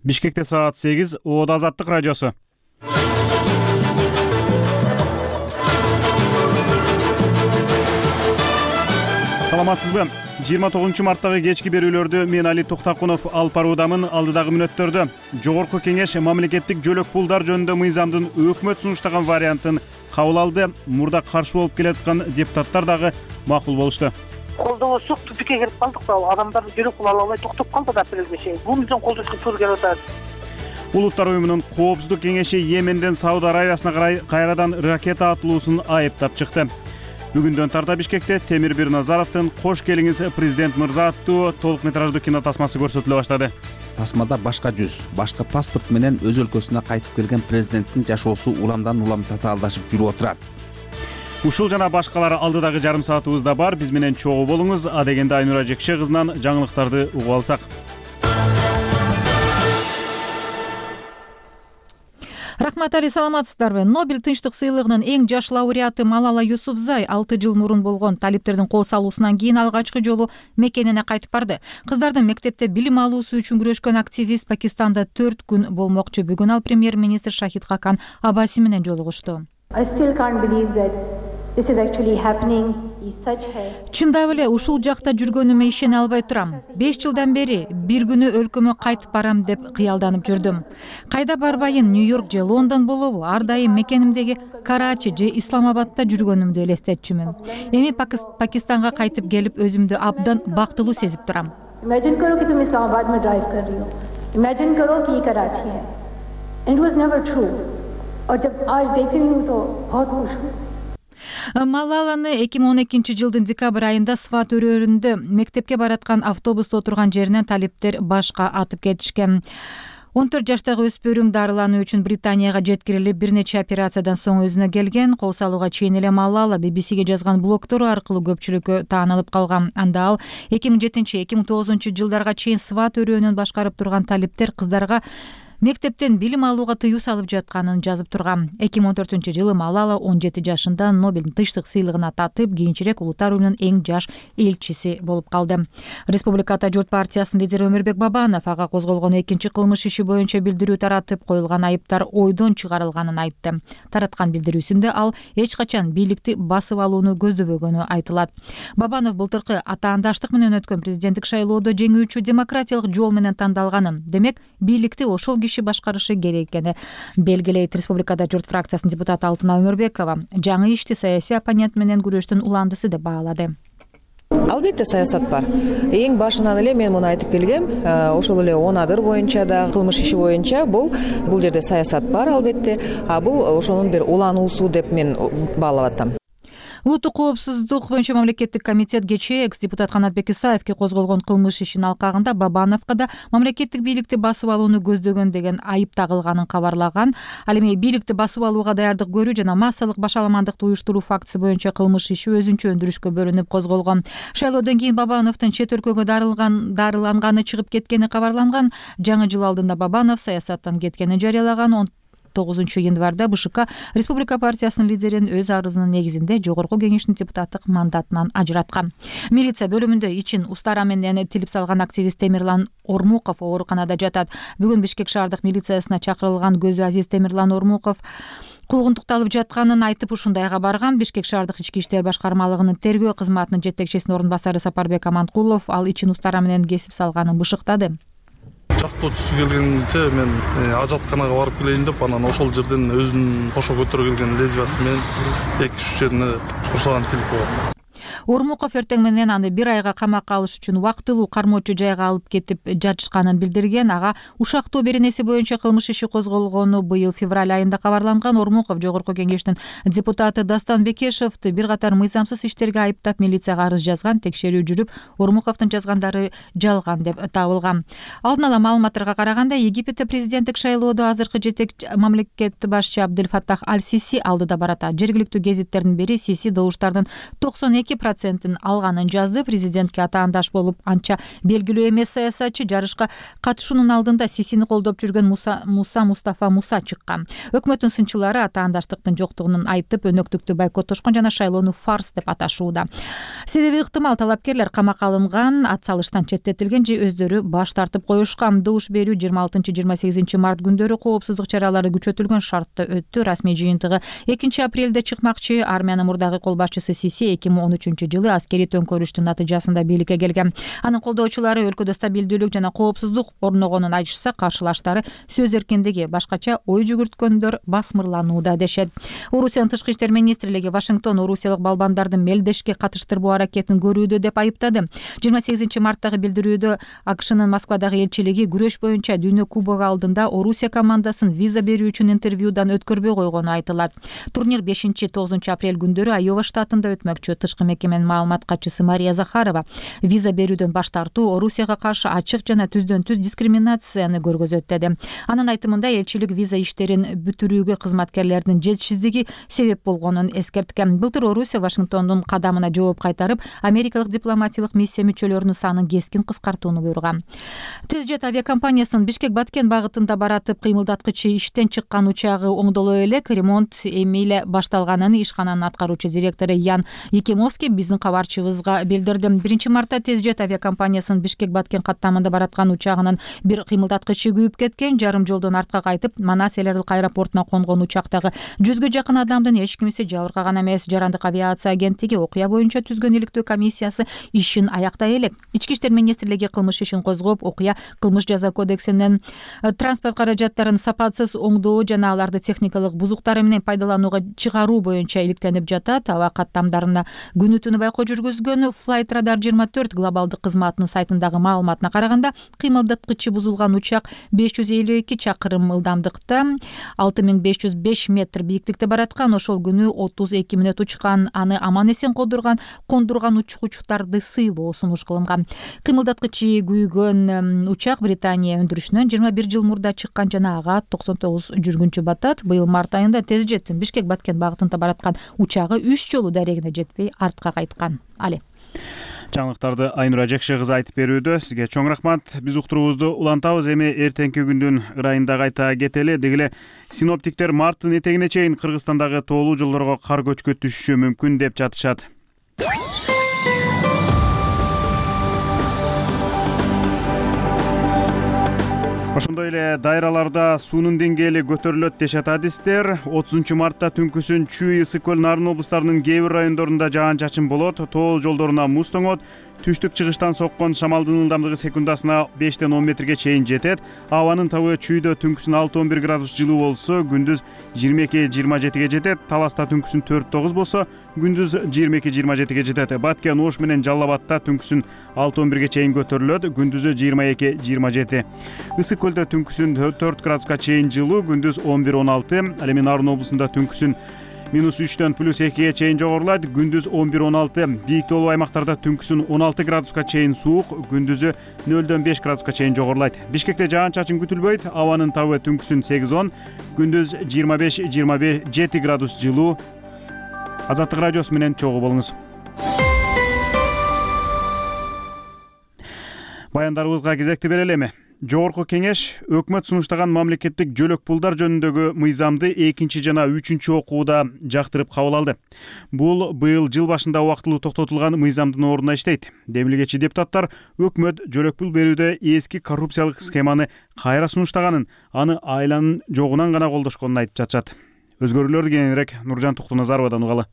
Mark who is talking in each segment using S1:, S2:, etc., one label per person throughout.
S1: Бишкекте саат 8, Оода Азаттык радиосу. Саламатсызбы? 29-марттагы кечки берүүлөрдү мен Али Туктакунов алып баруудамын. Алдыдагы мүнөттөрдө Жогорку Кеңеш мамлекеттик жөлөк пулдар жөнүндө мыйзамдын өкмөт сунуштаган вариантын кабыл алды. Мурда каршы болуп келаткан депутаттар дагы макул болушту.
S2: Колдоосук тупикке кирип калдык да, адамдар жөлөк пул ала албай токтоп калды да апрелге чейин. Буну үчүн колдошко туура келип атат.
S1: Улуттар уюмунун Коопсуздук кеңеши Йеменден Сауд Арабиясына карай кайрадан ракета атылуусун айыптап чыкты. Бүгүндөн тарта Бишкекте Темир Бирназаровдун «Кош келиңиз президент мырза» аттуу толук метраждуу кино тасмасы көрсөтүлө баштады.
S3: Тасмада башка жүз, башка паспорт менен өз өлкөсүнө кайтып келген президенттин жашоосу уламдан улам татаалдашып жүрүп отурат.
S1: Ушул жана башкалар алдыдагы жарым саатыбызда бар. Биз менен чогуу болуңуз. Адегенде Айнура Жекше кызынан жаңылыктарды угуп алсак.
S4: Рахмат Али, саламатсыздарбы? Нобель тынчтык сыйлыгынын эң жаш лауреаты Малала Юсуфзай 6 жыл мурун болгон талиптердин кол салуусунан кийин алгачкы жолу мекенине кайтып барды. Кыздардын мектепте билим алуусу үчүн күрөшкөн активист Пакистанда 4 күн болмокчу. Бүгүн ал премьер-министр Шахид Хакан Абаси менен жолугушту. Чындап эле ушул жакта жүргөнүмө ишене албай турам. 5 жылдан бери бир күнү өлкөмө кайтып барам деп кыялданып жүрдүм. Кайда барбайын, Нью-Йорк же Лондон болобу, ар дайым мекенимдеги Карачи же Исламабадта жүргөнүмдү элестетчүмүн. Эми Пакистанга кайтып келип өзүмдү абдан бактылуу сезип турам.
S5: Imagine करो कि तुम इस्लामाबाद में ड्राइव कर रही हो, Imagine करो कि ये कराची है, and it was never true. और जब आज देख रही हूँ तो बहुत खुश हूँ.
S4: Малаланы 2012 жылдын декабрь айында Сват өрөөрүндө мектепке бараткан автобуста отурган жеринен талиптер башка атып кетишкен. 14 жаштагы өспөрүм дарылануу үчүн Британияга жеткирилип, бир нече операциядан соң өзүнө келген. Кол салууга чейин эле Малала BBC-ге жазган блогтору аркылуу көпчүлүккө таанылып калган. Анда ал 2007-2009 жылдарга чейин Сват өрөөнүн башкарып турган талиптер кыздарга мектептен билим алууга тыюу салып жатканын жазып турган. 2014 жылы Малала 17 жашында Нобель тынчтык сыйлыгына татып, кийинчерээк улуттар уюмунун эң жаш элчиси болуп калды. Республика Ата журт партиясынын лидери Өмүрбек Бабанов ага козголгон экинчи кылмыш иши боюнча билдирүү таратып, коюлган айыптар ойдон чыгарылганын айтты. Тараткан билдирүүсүндө ал эч качан бийликти басып алууну көздөбөгөнү айтылат. Бабанов былтыркы атаандаштык менен өткөн президенттик шайлоодо жеңүүчү демократиялык жол менен тандалганын, демек бийликти ошол башкарышы керек экени белгилейт. Республикада журт фракциясынын депутаты Алтына Өмүрбекова жаңы ишти саясий оппонент менен күрөштүн уландысы деп баалады.
S6: Албетте саясат бар. Эң башынан эле мен муну айтып келгем. Ошол эле Онадыр боюнча да, кылмыш иши боюнча бул жерде саясат бар албетте. Бул ошонун бир улануусу деп мен баалап атам.
S4: Улуттук коопсуздук боюнча мамлекеттик комитет кечээ экс-депутат Канатбек Исаевке козголгон кылмыш ишинин алкагында Бабановго да мамлекеттик бийликти басып алууну көздөгөн деген айып тагылганын кабарлаган. Ал эми бийликти басып алууга даярдык көрүү жана массалык башаламандыкты уюштуруу фактысы боюнча кылмыш иши өзүнчө өндүрүшкө бөлүнүп козголгон. Шайлоодон кийин Бабановдун чет өлкөгө дарыланганы чыгып кеткени кабарланган. Жаңы жыл алдында Бабанов саясаттан кеткенин жарыялаган. 9 январда БШК Республика партиясынын лидерин өз арызынын негизинде Жогорку Кеңештин депутаттык мандатынан ажыраткан. Милиция бөлүмүндө ичин устара менен тилип салган активист Темирлан Ормуков ооруканада жатат. Бүгүн Бишкек шаардык милициясына чакырылган Көзү Азиз Темирлан Ормуков куугунтукталып жатканын айтып ушундайга барган. Бишкек шаардык ички иштер башкармалыгынын тергөө кызматынын жетекчисинин орун басары Сапарбек Аманкулов ал ичин устара менен кесип салганын бышыктады.
S7: Жактоочусу келгенче мен ажатканага барып келейин деп, анан ошол жерден өзүнүн кошо көтөрө келген лезвиясы менен 2-3 жерине курсаган тилип койгон.
S4: Ормуков эртең менен аны 1 айга камакка алыш үчүн убактылуу кармоочу жайга алып кетип жатышканын билдирген. Ага ушактоо беренеси боюнча кылмыш иши козголгону быйыл февраль айында кабарланган. Ормуков Жогорку Кеңештин депутаты Дастан Бекешевди бир катар мыйзамсыз иштерге айыптап милицияга арыз жазган. Текшерүү жүрүп, Ормуковдун жазгандары жалган деп табылган. Алдын ала маалыматтарга караганда, Египетте президенттик шайлоодо азыркы жетекчи мамлекет башчы Абдель Фаттах Аль-Сиси алдыда барат. Жергиликтүү гезиттердин бири Сиси добуштардын 92% процентин алганын жазды. Президентке атаандаш болуп анча белгилүү эмес саясатчы жарышка катышуунун алдында Сисини колдоп жүргөн Мустафа Муса чыккан. Өкмөттүн сынчылары атаандаштыктын жоктугун айтып, өнөктүктү бойкоттошкон жана шайлоону фарс деп аташууда. Себеби ыктымал талапкерлер камакка алынган, ат салыштан четтетилген же өздөрү баш тартып коюшкан. Добуш берүү 26-28 март күндөрү коопсуздук чаралары күчөтүлгөн шартта өттү. Расмий жыйынтыгы 2 апрелде чыкмакчы. Армиянын мурдагы кол башчысы Сиси 2013-жылы аскерий төңкөрүштүн натыйжасында бийликке келген. Анын колдоочулары өлкөдө стабилдүүлүк жана коопсуздук орногонун айтышса, каршылаштары сөз эркиндиги, башкача ой жүгүрткөндөр басмырланууда дешет. Орусиянын тышкы иштер министрлиги Вашингтон орусиялык балбандарды мелдешке катыштырбоо аракетин көрүүдө деп айыптады. 28 марттагы билдирүүдө АКШнын Москвадагы элчилиги күрөш боюнча Дүйнө кубогу алдында Орусия командасын виза берүү үчүн интервьюдан өткөрбөй койгону айтылат. Турнир 5-9 апрель күндөрү Айова штатында өтмөкчү. Тышкы мекеменин маалымат катчысы Мария Захарова виза берүүдөн баш тартуу Орусияга каршы ачык жана түздөн-түз дискриминацияны көргөзөт деди. Анын айтымында элчилик виза иштерин бүтүрүүгө кызматкерлердин жетишсиздиги себеп болгонун эскерткен. Былтыр Орусия Вашингтондун кадамына жооп кайтарып, америкалык дипломатиялык миссия мүчөлөрүнүн санын кескин кыскартууну буйруган. Тезжет авиакомпаниясынын Бишкек-Баткен багытында баратып кыймылдаткычы иштен чыккан учагы оңдоло элек. Ремонт эми эле башталганын ишкананын аткаруучу директору Ян Якимовский биздин кабарчыбызга билдирди. 1 мартта Тезжет авиакомпаниясынын Бишкек-Баткен каттамында бараткан учагынын бир кыймылдаткычы күйүп кеткен. Жарым жолдон артка кайтып, Манас эл аралык аэропортуна конгон учактагы 100гө жакын адамдын эч кимиси жабыркаган эмес. Жарандык авиация агенттиги окуя боюнча түзгөн иликтөө комиссиясы ишин аяктай элек. Ички иштер министрлиги кылмыш ишин козгоп, окуя кылмыш жаза кодексинин транспорт каражаттарын сапатсыз оңдоо жана аларды техникалык бузуктары менен пайдаланууга чыгаруу боюнча иликтенип жатат. Аба каттамдарына күнү түнү байкоо жүргүзгөн Flight Radar 24 глобалдык кызматынын сайтындагы маалыматына караганда, кыймылдаткычы бузулган учак 552 чакырым ылдамдыкта 6505 метр бийиктикте бараткан. Ошол күнү 32 мүнөт учкан. Аны аман эсен кондурган учкучтарды сыйлоо сунуш кылынган. Кыймылдаткычы күйгөн учак Британия өндүрүшүнөн 21 жыл мурда чыккан жана ага 99 жүргүнчү батат. Быйыл март айында Тезжеттин Бишкек-Баткен багытында бараткан учагы 3 жолу дарегине жетпей артка кайткан. Але
S1: Жаңылыктарды Айнура Жекше кызы айтып берүүдө. Сизге чоң рахмат. Биз уктуруубузду улантабыз. Эми эртеңки күндүн ырайында кайта кетели. Деги эле синоптиктер марттын этегине чейин Кыргызстандагы тоолуу жолдорго кар көчкү түшүшү мүмкүн деп жатышат. Ошондой эле дайраларда суунун деңгээли көтөрүлөт дешет адистер. 30 мартта түнкүсүн Чүй, Ысык көл, Нарын облустарынын кээ бир райондорунда жаан-чачын болот. Тоол жолдоруна муз тоңот. Түштүк чыгыштан соккон шамалдын ылдамдыгы секундасына 5-10 метрге чейин жетет. Абанын табы Чүйдө түнкүсүн 6-11 градус жылуу болсо, күндүз 22-27ге жетет. Таласта түнкүсүн 4-9 болсо, күндүз 22-27ге жетет. Баткен, Ош менен Жалал Абадта түнкүсүн 6-11ге чейин көтөрүлөт, күндүзү 22-27. Ысык көлдө түнкүсүн 4 градуска чейин жылуу, күндүз 11-16. Ал эми Нарын облусунда түнкүсүн -3-төн +2ге чейин жогорулайт, күндүз 11-16. Бийик тоолуу аймактарда түнкүсүн 16 градуска чейин суук, күндүзү 0-5 градуска чейин жогорулайт. Бишкекте жаан-чачын күтүлбөйт, абанын табы түнкүсүн 8-10, күндүз 25-27 градус жылуу. Азаттык радиосу менен чогуу болуңуз. Баяндарыбызга кезекти берели эми. Жогорку кеңеш өкмөт сунуштаган мамлекеттик жөлөк пулдар жөнүндөгү мыйзамды 2 жана 3 окууда жактырып кабыл алды. Бул быйыл жыл башында убактылуу токтотулган мыйзамдын ордуна иштейт. Демилгечи депутаттар өкмөт жөлөк пул берүүдө эски коррупциялык схеманы кайра сунуштаганын, аны айланын жогунан гана колдошконун айтып жатышат. Өзгөрүүлөрдү кененирээк Нуржан Туктуназаровадан угалы.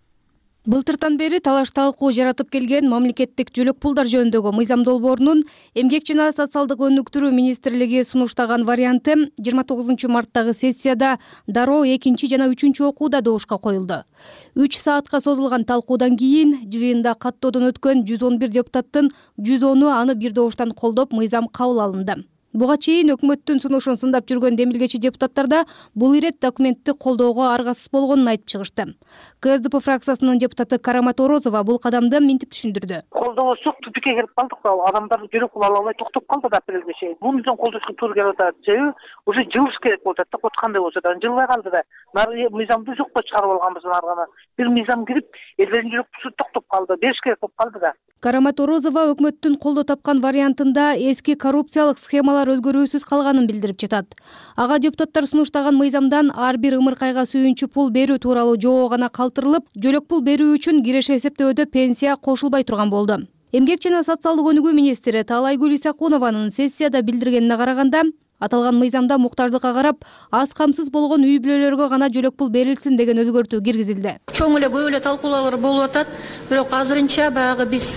S8: Былтыртан бери талаш талкуу жаратып келген мамлекеттик жөлөк пулдар жөнүндөгү мыйзам долбоорунун Эмгек жана социалдык өнүктүрүү министрлиги сунуштаган варианты 29 марттагы сессияда дароо 2 жана 3 окууда добушка коюлду. 3 саатка созулган талкуудан кийин жыйында каттоодон өткөн 111 депутаттын 110-у аны бир добуштан колдоп мыйзам кабыл алынды. Буга чейин өкмөттүн сунушун сындап жүргөн демилгечи депутаттар да бул ирет документти колдоого аргасыз болгонун айтып чыгышты. КСДП фракциясынын депутаты Карамат Орозова бул кадамды мынтип түшүндүрдү.
S2: Колдобосок тупикке кирип калдык. Адамдар жүрөк кыла албай токтоп калды да апрелге чейин. Буну үчүн колдошко туура келип атат. Себеби уже жылыш керек болуп атат да, коткандай болсо да жылбай калды да. Мыйзамды жокко чыгарып алганбыз аргана. Бир мыйзам кирип, элдердин жүрөкчүсү токтоп калды. Бериш керек болуп калды да.
S8: Карамат Орозова өкмөттүн колдоо тапкан вариантында эски коррупциялык схемалар өзгөрүүсүз калганын билдирип жатат. Ага депутаттар сунуштаган мыйзамдан ар бир ымыркайга сүйүнчү пул берүү тууралуу жобо гана калтырылып, жөлөк пул берүү үчүн киреше эсептөөдө пенсия кошулбай турган болду. Эмгек жана социалдык өнүгүү министри Таалайгүл Исакунованын сессияда билдиргенине караганда, аталган мыйзамда муктаждыкка карап аз камсыз болгон үй бүлөлөргө гана жөлөк пул берилсин деген өзгөртүү киргизилди.
S9: Чоң эле көп эле талкуулар болуп атат. Бирок азырынча баягы биз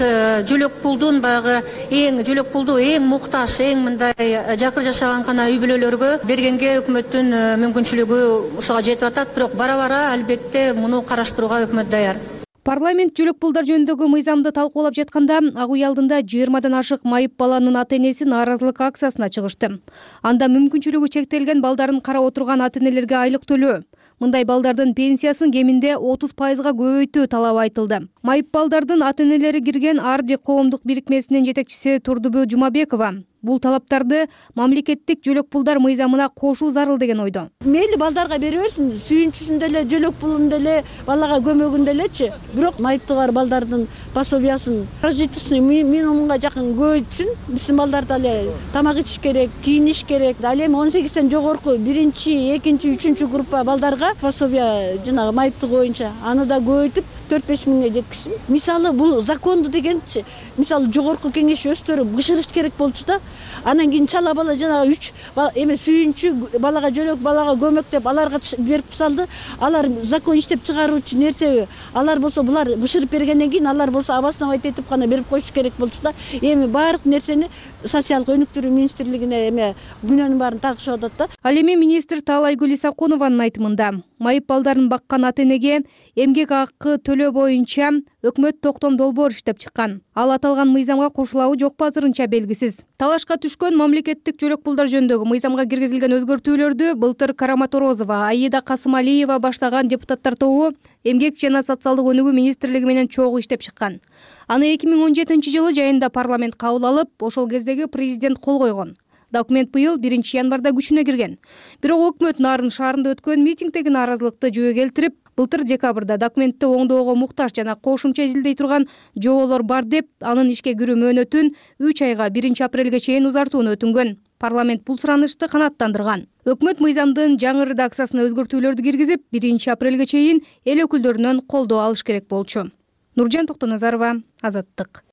S9: жөлөк пулдун жөлөк пулду эң муктаж, эң мындай жакыр жашаган гана үй бүлөлөргө бергенге өкмөттүн мүмкүнчүлүгү ушуга жетип атат. Бирок бара албетте муну караштырууга өкмөт даяр.
S8: Парламент жөлөк пулдар жөнүндөгү мыйзамды талкуулап жатканда ак үй алдында 20 ашык майып баланын ата-энеси нааразылык акциясына чыгышты. Анда мүмкүнчүлүгү чектелген балдарын карап отурган ата-энелерге айлык төлөө, мындай балдардын пенсиясын кеминде 30% көбөйтүү талабы айтылды. Майып балдардын ата-энелери кирген Арди коомдук бирикмесинин жетекчиси Турдубү Жумабекова бул талаптарды мамлекеттик жөлөк пулдар мыйзамына кошуу зарыл деген ойдо.
S10: Мейли балдарга бере берсин, сүйүнчүсүн деле, жөлөк пулун деле, балага көмөгүн делечи. Бирок майыптыгы бар балдардын пособиясын прожиточный минимумга жакын көбөйтсүн. Биздин балдар деле тамак ичиш керек, кийиниш керек. Ал эми 18ден жогорку 1-2, 3 группа балдарга пособия жанагы майыптыгы боюнча аны да көбөйтүп 4-5 миңге жеткизсин. Мисалы бул законду дегенчи, мисалы жогорку кеңеш өздөрү бышырыш керек болчу да. Анан кийин чала бала жанагы 3 эме сүйүнчү балага жөлөк, балага көмөк деп аларга берип салды. Алар закон иштеп чыгаруучу нерсеби? Алар болсо булар бышырып бергенден кийин алар болсо обосновать этип гана берип коюш керек болчу да. Эми баардык нерсени социалдык өнүктүрүү министрлигине эме күнөөнүн баарын тагышып атат да.
S8: Ал эми министр Таалайгүл Исакунованын айтымында майып балдарын баккан ата-энеге эмгек акы төлөө боюнча өкмөт токтом долбоор иштеп чыккан. Ал аталган мыйзамга кошулабы жокпу азырынча белгисиз. Талашка түшкөн мамлекеттик жөлөк пулдар жөнүндөгү мыйзамга киргизилген өзгөртүүлөрдү былтыр Карамат Орозова, Аида Касымалиева баштаган депутаттар тобу эмгек жана социалдык өнүгүү министрлиги менен чогуу иштеп чыккан. Аны 2017-жылы жайында парламент кабыл алып, ошол кездеги президент кол койгон. Документ быйыл 1-январда күчүнө кирген. Бирок өкмөт Нарын шаарында өткөн митингдеги нааразылыкты жөө келтирип, былтыр декабрда документти оңдоого муктаж жана кошумча изилдей турган жоболор бар деп, анын ишке кирүү мөөнөтүн 3 айга 1-апрелге чейин узартууну өтүнгөн. Парламент бул суранышты канааттандырган. Өкмөт мыйзамдын жаңы редакциясына өзгөртүүлөрдү киргизип, 1-апрелге чейин эл өкүлдөрүнөн колдоо алыш керек болчу. Нуржан Токтоназарова, Азаттык.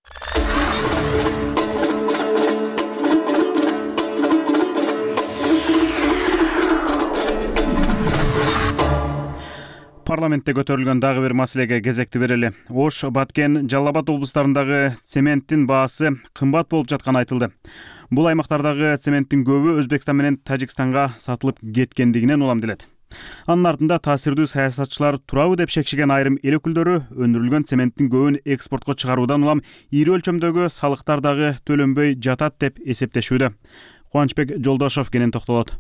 S1: Парламентте көтөрүлгөн дагы бир маселеге кезекти берели. Ош, Баткен, Жалал Абад облустарындагы цементтин баасы кымбат болуп жатканы айтылды. Бул аймактардагы цементтин көбү Өзбекстан менен Тажикстанга сатылып кеткендигинен уламделет. Анын артында таасирдүү саясатчылар турабы деп шекшиген айрым эл өкүлдөрү өндүрүлгөн цементтин көбүн экспортко чыгаруудан улам ири өлчөмдөгү салыктар дагы төлөнбөй жатат деп эсептешүүдө. Кубанычбек Жолдошов кенен токтолот.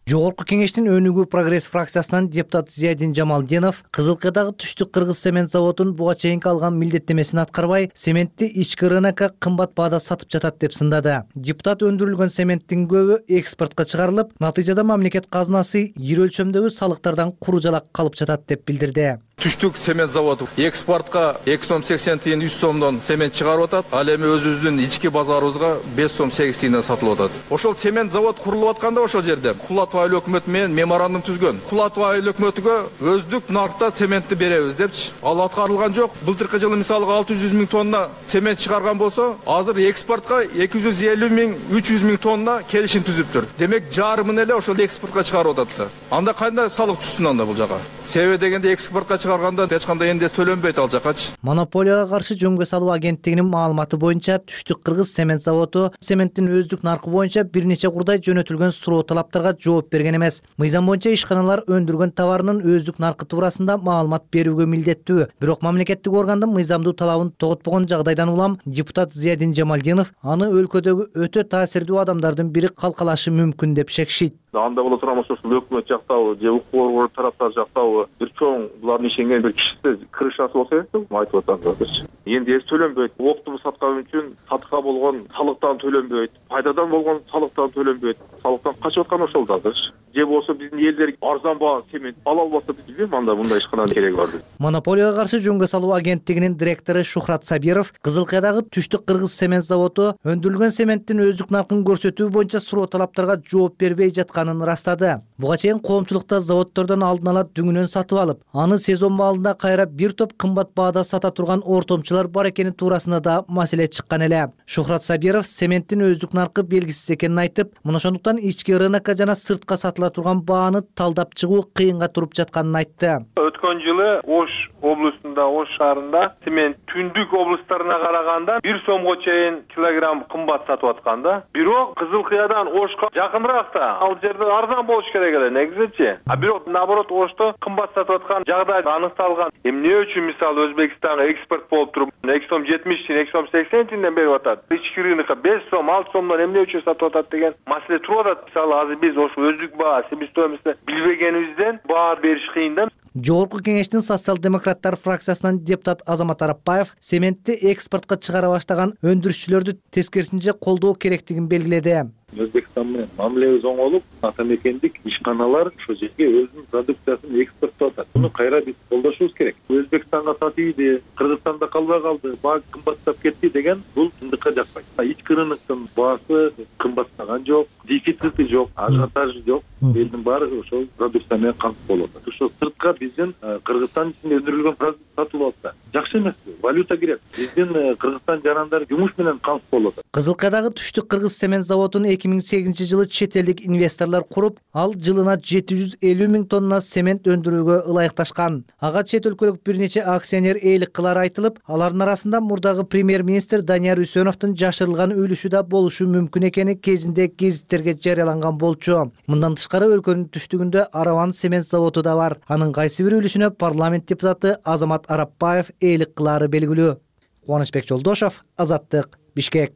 S11: Жогорку кеңештин өнүгүү прогресс фракциясынан депутат Зиядин Жамалдинов Кызылкыдагы Түштүк Кыргыз цемент заводун буга чейинки алган милдеттемесин аткарбай, цементти ички рынокко кымбат баада сатып жатат деп сындады. Депутат өндүрүлгөн цементтин көбү экспортко чыгарылып, натыйжада мамлекет казынасы ири өлчөмдөгү салыктардан куру жалак калып жатат деп билдирди.
S12: Түштүк цемент заводу экспортко 2 сом 80 тиын 3 сомдон цемент чыгарып атат. Ал эми өзүбүздүн ички базарыбызга 5 сом 8 тиынден сатылып атат. Ошол цемент завод курулуп атканда ошол жерде Кулатов айыл өкмөтү менен меморандум түзгөн. Кулатов айыл өкмөтүгө өздүк наркта цементти беребиз депчи. Ал аткарылган жок. Былтыркы жылы мисалы 600 миң тонна цемент чыгарган болсо, азыр экспортко 250 миң 300 миң тонна келишим түзүптүр. Демек жарымын эле ошол экспортко чыгарып атат да. Анда кандай салык түшсүн анда бул жака? себеби дегенде экспортко чыгарганда эч кандай эндес төлөнбөйт ал жакачы.
S11: Монополияга каршы жөнгө салуу агенттигинин маалыматы боюнча Түштүк Кыргыз цемент заводу цементтин өздүк наркы боюнча бир нече курдай жөнөтүлгөн суроо талаптарга жооп берген эмес. Мыйзам боюнча ишканалар өндүргөн товарынын өздүк наркы туурасында маалымат берүүгө милдеттүү. Бирок мамлекеттик органдын мыйзамдуу талабын тоготпогон жагдайдан улам депутат Зиядин Жамалдинов аны өлкөдөгү өтө таасирдүү адамдардын бири калкалашы мүмкүн деп шекшийт.
S13: Анда боло турган ошол өкмөт жактабы же укук орган тараптар жактабы бир чоң булардын ишенген бир кишиси крышасы болсо керек деп айтып атасыздарчы. Энди эч төлөнбөйт. Оптуму саткан үчүн сатка болгон салыктан төлөнбөйт. Пайдадан болгон салыктан төлөнбөйт. Салыктан качып аткан ошолдардыр. Же болсо биздин элдер арзан баа цемент ала албаса биз билбейм анда мындай ишкананын кереги бар деп.
S11: Монополияга каршы жөнгө салуу агенттигинин директору Шухрат Сабиров Кызылкаядагы Түштүк Кыргыз цемент заводу өндүрүлгөн цементтин өздүк наркын көрсөтүү боюнча суроо талаптарга жооп бербей жатканын ырастады. Буга чейин коомчулукта заводдордон алдын ала дүңүнөн сатып алып, аны сезон маалында кайра бир топ кымбат баада сата турган ортомчулар бар экени туурасында да маселе чыккан эле. Шухрат Сабиров цементтин өздүк наркы белгисиз экенин айтып, мына ошондуктан ички рынокко жана сыртка сатыла турган бааны талдап чыгуу кыйынга туруп жатканын айтты.
S14: Өткөн жылы Ош облусунда, Ош шаарында цемент түндүк облустарына караганда 1 сомго чейин килограмм кымбат сатып аткан да. Бирок Кызылкыядан Ошко жакыныракта ал жерде арзан болуш керек эле негизичи. Бирок наоборот Ошто кымбат сатып аткан жагдай аныкталган. Эмне үчүн мисалы Өзбекстанга экспорт болуп туруп 2 сом 70 тиен, 2 сом 80 тиенден берип атат. Ички рынокко 5 сом, 6 сомдон эмне үчүн сатып атат деген маселе туруп атат. Мисалы азыр биз ошо өздүк баа, себестоимосту билбегенибизден баа бериш кыйын да.
S11: Жогорку кеңештин социал-демократтар фракциясынан депутат Азамат Арапбаев цементти экспортко чыгара баштаган өндүрүшчүлөрдү тескерисинче колдоо керектигин белгиледи.
S13: Өзбекстан менен мамилебиз оңолуп, атамекендик ишканалар ошо жерге өзүнүн продукциясын экспорттоп атат. Муну кайра биз колдошубуз керек. Өзбекстанга сатыйды, Кыргызстанда калбай калды, баа кымбаттап кетти деген бул чындыкка жакпайт. Ички рыноктун баасы кымбаттаган жок, дефицити жок, ажиотажы жок. Элдин баары ошол продукция менен камсыз болуп атат. Ошо сыртка биздин Кыргызстан ичинде өндүрүлгөн продукция сатылып атса, жакшы эмеспи? Валюта керек. Биздин Кыргызстан жарандар жумуш менен камсыз болуп атат.
S11: Кызылкаядагы Түштүк Кыргыз цемент заводун 2008-жылы чет элдик инвесторлор куруп, ал жылына 750 миң тонна цемент өндүрүүгө ылайыкташкан. Ага чет өлкөлүк бир нече акционер ээлик кылары айтылып, алардын арасында мурдагы премьер-министр Данияр Үсөновдун жашырылган үлүшү да болушу мүмкүн экени кезинде гезиттерге жарыяланган болчу. Мындан тышкары өлкөнүн түштүгүндө Араван цемент заводу да бар. Анын кайсы бир үлүшүнө парламент депутаты Азамат Арапбаев ээлик кылары белгилүү. Кубанычбек Жолдошов, Азаттык, Бишкек.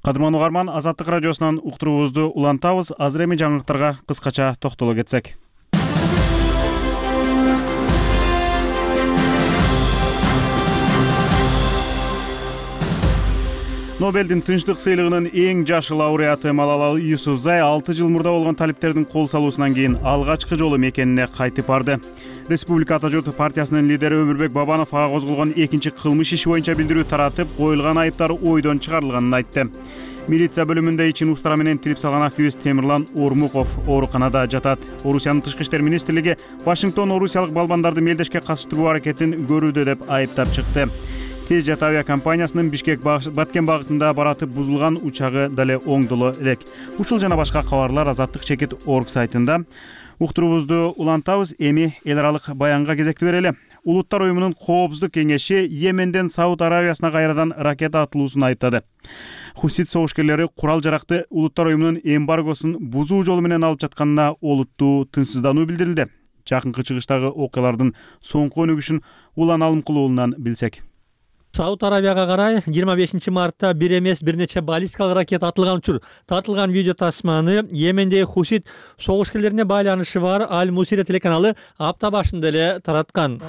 S1: Кадырман угарман, Азаттык радиосунан уктуруубузду улантабыз. Азыр эми жаңылыктарга кыскача токтоло кетсек. Нобелдин тынчтык сыйлыгынын эң жашы лауреаты Малала Юсуфзай 6 жыл мурда болгон талиптердин кол салуусунан кийин алгачкы жолу мекенине кайтып барды. Республика Ата журт партиясынын лидери Өмүрбек Бабанов ага козголгон экинчи кылмыш иши боюнча билдирүү таратып, коюлган айыптар ойдон чыгарылганын айтты. Милиция бөлүмүндө ичин устара менен тилип салган активист Темирлан Ормуков ооруканада жатат. Орусиянын тышкы иштер министрлиги Вашингтон орусиялык балбандарды мелдешке катыштыруу аракетин көрүүдө деп айыптап чыкты. Тежет авиакомпаниясынын Бишкек Баткен багытында баратып бузулган учагы дале оңдоло элек. Ушул жана башка кабарлар Азаттык чекит орг сайтында. Уктуруубузду улантабыз. Эми эл аралык баянга кезекти берели. Улуттар уюмунун коопсуздук кеңеши Йеменден Сауд Аравиясына кайрадан ракета атылуусун айыптады. Хусит согушкерлери курал-жаракты улуттар уюмунун эмбаргосун бузуу жолу менен алып жатканына олуттуу тынчсыздануу билдирилди. Жакынкы чыгыштагы окуялардын соңку өнүгүшүн Улан Алымкулуу уулунан билсек.
S15: Сауд Аравияга карай 25 мартта бир эмес бир нече баллистикалык ракета атылган учур. Тартылган видео тасманы Йемендеги хусит согушкерлерине байланышы бар Аль-Мусира телеканалы апта башында эле тараткан.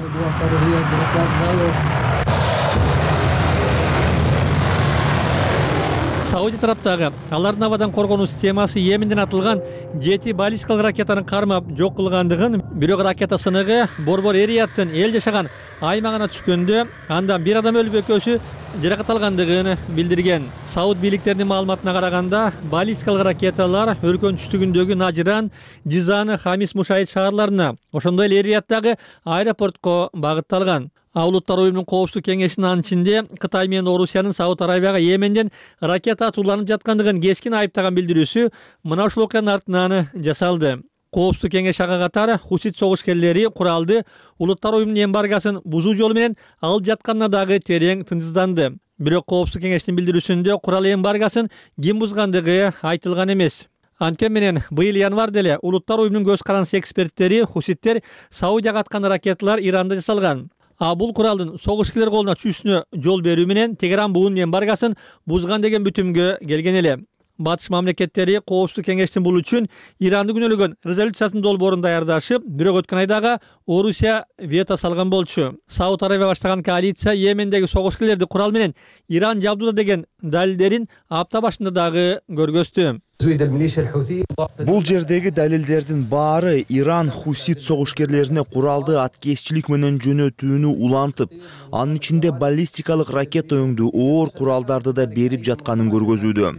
S15: Саудия тараптагы алардын абадан коргонуу системасы Йеменден атылган 7 баллистикалык ракетаны кармап жок кылгандыгын, бирок ракета сыныгы борбор Эрияттын эл жашаган аймагына түшкөндө андан бир адам өлүп экөөсү жаракат алгандыгын билдирген. Сауд бийликтеринин маалыматына караганда, баллистикалык ракеталар өлкөнүн түштүгүндөгү Нажиран, Жизаны, Хамис Мушаид шаарларына, ошондой эле Эрияттагы аэропортко багытталган. Улуттар уюмунун коопсуздук кеңешинин анын ичинде Кытай менен Орусиянын Сауд Аравияга Йеменден ракета атууланып жаткандыгын кескин айыптаган билдирүүсү мына ушул окуянын артынан жасалды. Коопсуздук кеңеш ага катар хусит согушкерлери куралды улуттар уюмунун эмбаргасын бузуу жолу менен алып жатканына дагы терең тынчсызданды. Бирок Коопсуздук кеңештин билдирүүсүндө курал эмбаргасын ким бузгандыгы айтылган эмес. Анткени менен быйыл январда эле улуттар уюмунун көз каранды эксперттери хуситтер Саудияга аткан ракеталар Иранда жасалган. А бул куралдын согушкерлер колуна түшүүсүнө жол берүү менен Тегеран буунун эмбаргасын бузган деген бүтүмгө келген эле. Батыш мамлекеттери Коопсуздук кеңештин бул үчүн Иранды күнөөлөгөн резолюциясынын долбоорун даярдашып, бирок өткөн айдагы Орусия вето салган болчу. Сауд Арабия баштаган коалиция Йемендеги согушкерлерди курал менен Иран жабдууда деген далилдерин апта башында дагы көргөздү.
S16: Бул жердеги далилдердин баары Иран хусит согушкерлерине куралды аткезчилик менен жөнөтүүнү улантып, анын ичинде баллистикалык ракета өңдүү оор куралдарды да берип жатканын көргөзүүдө.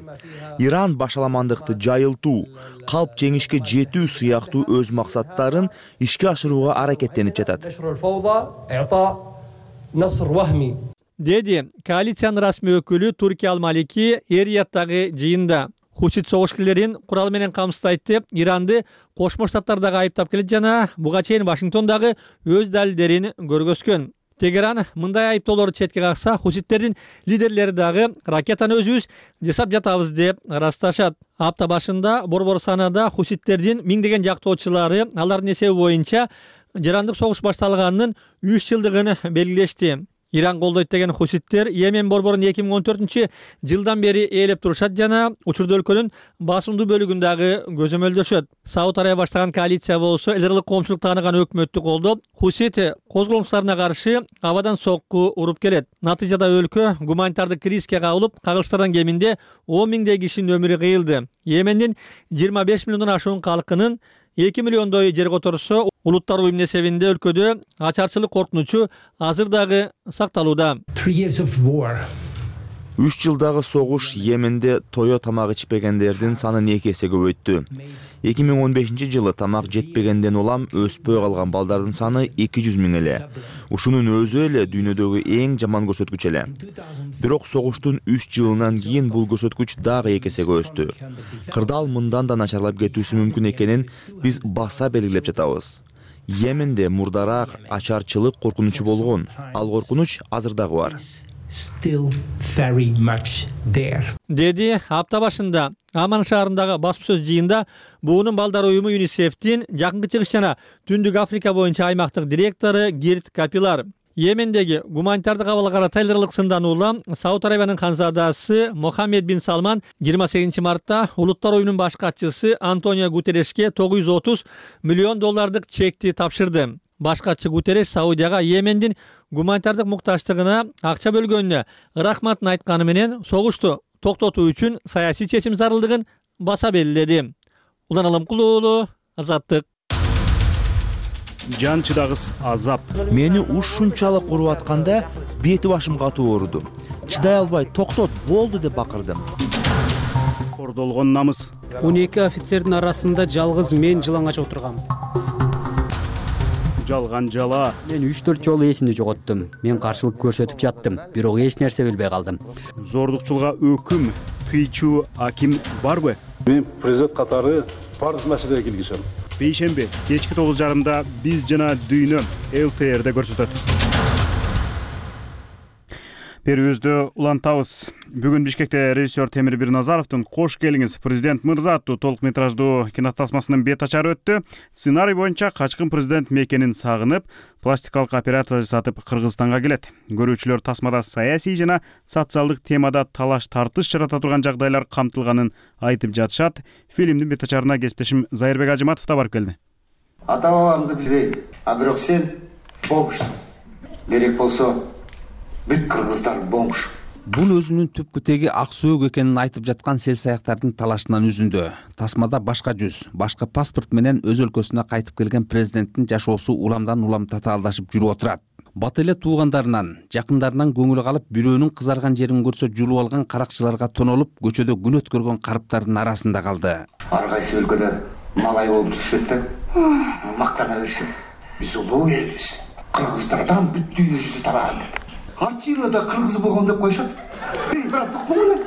S16: Иран башаламандыкты жайылтуу, калп жеңишке жетүү сыяктуу өз максаттарын ишке ашырууга аракеттенип жатат.
S15: Деди коалициянын расмий өкүлү Туркия Ал-Малики Эрияттагы жыйында. Хусит согушкерлерин курал менен камсыздайт, Иранды Кошмо Штаттар дагы айыптап келет жана буга чейин Вашингтон дагы өз далилдерин көргөзгөн. Тегеран мындай айыптоолорду четке какса, хуситтердин лидерлери дагы ракетаны өзүбүз жасап жатабыз деп ырасташат. Апта башында борбор санада хуситтердин миңдеген жактоочулары алардын эсеби боюнча жарандык согуш башталганынын 3 жылдыгын белгилешти. Иран колдойт деген хуситтер Йемен борборун 2014-жылдан бери ээлеп турушат жана учурда өлкөнүн басымдуу бөлүгүн дагы көзөмөлдөшөт. Сауд Арабия баштаган коалиция болсо эл аралык коомчулук тааныган өкмөттү колдоп, хусит козголуңчуларына каршы абадан сокку уруп келет. Натыйжада өлкө гуманитардык кризиске кабылып, кагылыштардан кеминде 10 миңдей кишинин өмүрү кыйылды. Йемендин 25 миллиондон ашуун калкынын 2 миллиондой жер которсо, улуттар уюмунун эсебинде өлкөдө ачарчылык коркунучу азыр дагы сакталууда.
S16: 3 жылдагы согуш Йеменде тое тамак ичпегендердин санын 2 эсе көбөйттү. 2015-жылы тамак жетпегенден улам өспөй калган балдардын саны 200 миң эле. Ушунун өзү эле дүйнөдөгү эң жаман көрсөткүч эле. Бирок согуштун 3 жылынан кийин бул көрсөткүч дагы 2 эсеге өстү. Кырдаал мындан да начарлап кетүүсү мүмкүн экенин биз баса белгилеп жатабыз. Йеменде мурдараак ачарчылык коркунучу болгон. Ал коркунуч азыр дагы бар.
S15: Деди апта башында Аман шаарындагы басма-сөз жыйында буунун балдар уюму ЮНИСЕФтин Жакынкы Чыгыш жана Түндүк Африка боюнча аймактык директору Гирт Капилар. Йемендеги гуманитардык абалга карата эл аралык сындануула Сауд Арабиянын ханзадасы Мохаммед бин Салман 28 мартта улуттар уюмунун баш катчысы Антонио Гутерешке $930 миллион чекти тапшырды. Баш катчы Гутереш Саудияга Йемендин гуманитардык муктаждыгына акча бөлгөнүнө рахматын айтканы менен согушту токтотуу үчүн саясий чечим зарылдыгын баса белгиледи. Улан Алымкулуу, Азаттык.
S1: Жан чыдагыс азап.
S16: Мени ушунчалык уруп атканда бети башым катуу ооруду. Чыдай албай токтот, болду деп бакырдым.
S1: Кордолгон намыс.
S17: 12 офицердин арасында жалгыз мен жылаңач отургам.
S1: Жалган жала.
S18: Мен 3-4 жолу эсимди жоготтум. Мен каршылык көрсөтүп жаттым, бирок эч нерсе билбей калдым.
S1: Зордукчулуга өкүм, тыйчу аким барбы?
S19: Мен президент катары бардык маселеге киргизем.
S1: Бейшемби кечки 9:30 биз жана дүйнө ЛТРде көрсөтөт. Берүүбүздү улантабыз. Бүгүн Бишкекте режиссер Темир Бирназаровдун «Кош келиңиз, президент мырза» аттуу толук метраждуу кинотасмасынын бет ачары өттү. Сценарий боюнча качкын президент мекенин сагынып, пластикалык операция жасатып Кыргызстанга келет. Көрүүчүлөр тасмада саясий жана социалдык темада талаш-тартыш жарата турган жагдайлар камтылганын айтып жатышат. Фильмдин бет ачарына кесиптешим Зайырбек Ажыматов да барып келди.
S20: Ата-бабаңды билбейм, бирок сен бомжсуң. Керек болсо бүт кыргыздар бомж.
S3: Бул өзүнүн түпкү теги ак сөөк экенин айтып жаткан сел-саяктардын талашынан үзүндү. Тасмада башка жүз, башка паспорт менен өз өлкөсүнө кайтып келген президенттин жашоосу уламдан улам татаалдашып жүрүп отурат. Бат эле туугандарынан, жакындарынан көңүлү калып, бирөөнүн кызарган жерин көрсө жулуп алган каракчыларга тонолуп, көчөдө күн өткөргөн карыптардын арасында калды.
S20: Ар кайсы өлкөдө малай болуп жүрүшөт да, мактана беришет. Биз улуу элбиз. Кыргыздардан бүт дүйнө жүзү тараган. Ачыйлада кыргыз болгон деп коюшат. Брат, токтогула.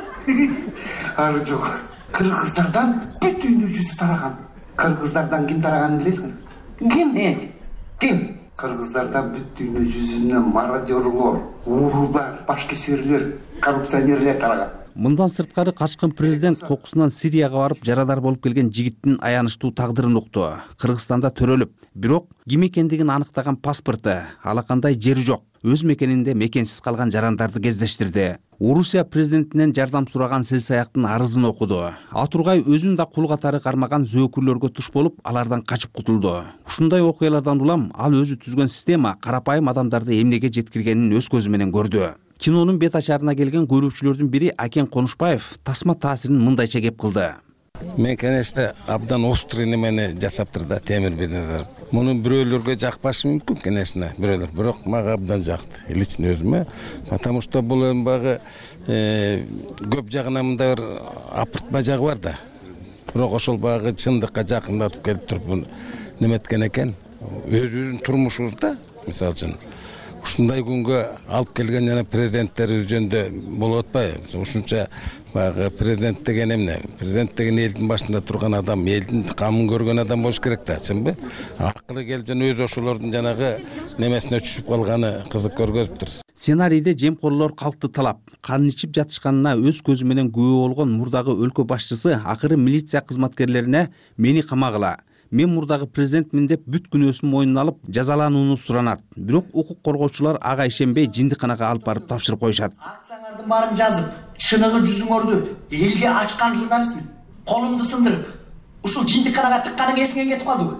S20: Ары жок. Кыргыздардан бүт дүйнө жүзү тараган. Кыргыздардан ким тараганын билесиңби? Ким? Кыргыздардан бүт дүйнө жүзүнөн мародерлор, уурулар, башкесирлер, коррупционерлер тараган.
S3: Мындан сырткары качкын президент кокусунан Сирияга барып жарадар болуп келген жигиттин аянычтуу тагдырын укту. Кыргызстанда төрөлүп, бирок ким экендигин аныктаган паспорту, алакандай жери жок. Өз мекенинде мекенсиз калган жарандарды кездештирди. Орусия президентинен жардам сураган селсаяктын арызын окуду. Атургай өзүн да кул катары кармаган зөөкүрлөргө туш болуп, алардан качып кутулду. Ушундай окуялардан улам ал өзү түзгөн система карапайым адамдарды эмнеге жеткиргенин өз көзү менен көрдү. Кинонун бет ачарына келген көрүүчүлөрдүн бири Акен Конушбаев тасма таасирин мындайча кеп кылды.
S21: Мен конечно абдан острый немени жасаптыр да Темир Бирназаров. Муну бирөөлөргө жакпашы мүмкүн, конечно, бирөөлөр, бирок мага абдан жакты, лично өзүмө, потому что бул эми багы көп жагынан мындай бир апыртма жагы бар да. Бирок ошол багы чындыкка жакындатып келип туруп неметкен экен. Өзүбүздүн турмушубузда, мисалы үчүн, ушундай күнгө алып келген жана президенттерибиз жөнүндө болуп атпайбы? Ушунча багы президент деген эмне? Президент деген элдин башында турган адам, элдин камын көргөн адам болуш керек да, чынбы? Акылы келип жана өзү ошолордун жанагы немесине түшүп калганы кызык көргөзүптүр.
S3: Сценарийде жемкорлор калкты талап, кан ичип жатышканына өз көзү менен күбө болгон мурдагы өлкө башчысы акыры милиция кызматкерлерине мени камагыла, мен мурдагы президентмин деп бүт күнөөсүн мойнуна алып жазаланууну суранат. Бирок укук коргоочулар ага ишенбей жиндиканага алып барып тапшырып коюшат.
S22: Акцияңардын баарын жазып, шыныгы жүзүңөрдү элге ачкан журналистмин. Колумду сындырып, ушул жиндиканага тыкканың эсиңен кетип калдыбы?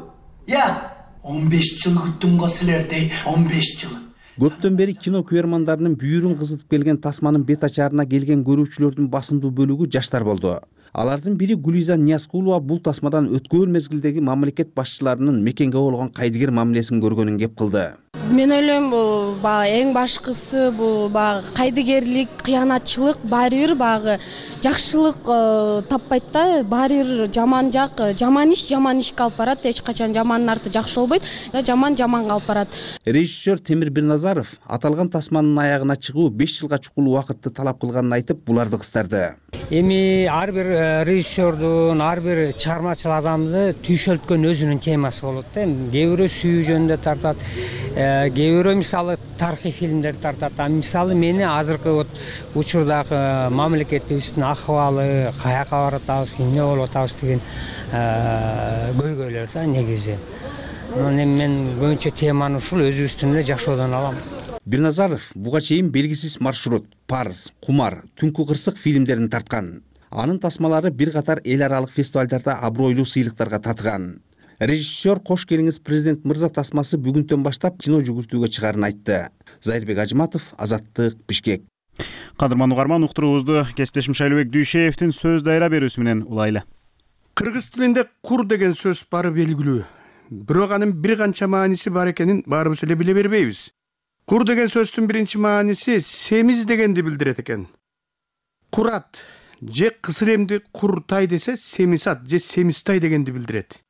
S22: 15 жыл күттүм го силерди, 15 жыл.
S3: Көптөн бери кино күйөрмандарынын бүйүрүн кызытып келген тасманын бет ачарына келген көрүүчүлөрдүн басымдуу бөлүгү жаштар болду. Алардын бири Гулиза Ниязкулова бул тасмадан өткөн мезгилдеги мамлекет башчыларынын мекенге болгон кайдыгер мамилесин көргөнүн кеп кылды.
S23: Мен ойлойм бул эң башкысы бул кайдыгерлик, кыянатчылык баары бир жакшылык таппайт да, баары бир жаман жак, жаман ишке алып барат, эч качан жамандын арты жакшы болбойт, жаманга алып барат.
S3: Режиссер Темир Бирназаров аталган тасманын аягына чыгуу 5 жылга чукул убакытты талап кылганын айтып, буларды кыстарды.
S24: Эми ар бир режиссердун, ар бир чыгармачыл адамды түйшөлткөн өзүнүн темасы болот да. Кээ бирөө сүйүү жөнүндө тартат, кээ бирөө мисалы тарыхый фильмдер тартат. Мисалы мени азыркы учурдагы мамлекетибиздин акыбалы, каяка баратабыз, эмне болуп атабыз деген көйгөйлөр да негизи. Эми мен көбүнчө теманы ушул өзүбүздүн эле жашоодон алам.
S3: Бирназаров буга чейин белгисиз маршрут, Парыз, Кумар, Түнкү кырсык фильмдерин тарткан. Анын тасмалары бир катар эл аралык фестивалдарда абройлуу сыйлыктарга татыган. Режиссер кош келиңиз президент мырза тасмасы бүгүндөн баштап кино жүгүртүүгө чыгарын айтты. Зайырбек Ажыматов, Азаттык, Бишкек.
S1: Кадырман угарман, уктуруубузду кесиптешим Шайлыбек Дүйшеевдин сөз дайра берүүсү менен улайлы.
S25: Кыргыз тилинде кур деген сөз бары белгилүү. Бирок анын бир канча мааниси бар экенин баарыбыз эле биле бербейбиз. Кур деген сөздүн биринчи мааниси семиз дегенди билдирет экен. Курат же кысыр эмди куртай десе семисат же семистай дегенди билдирет.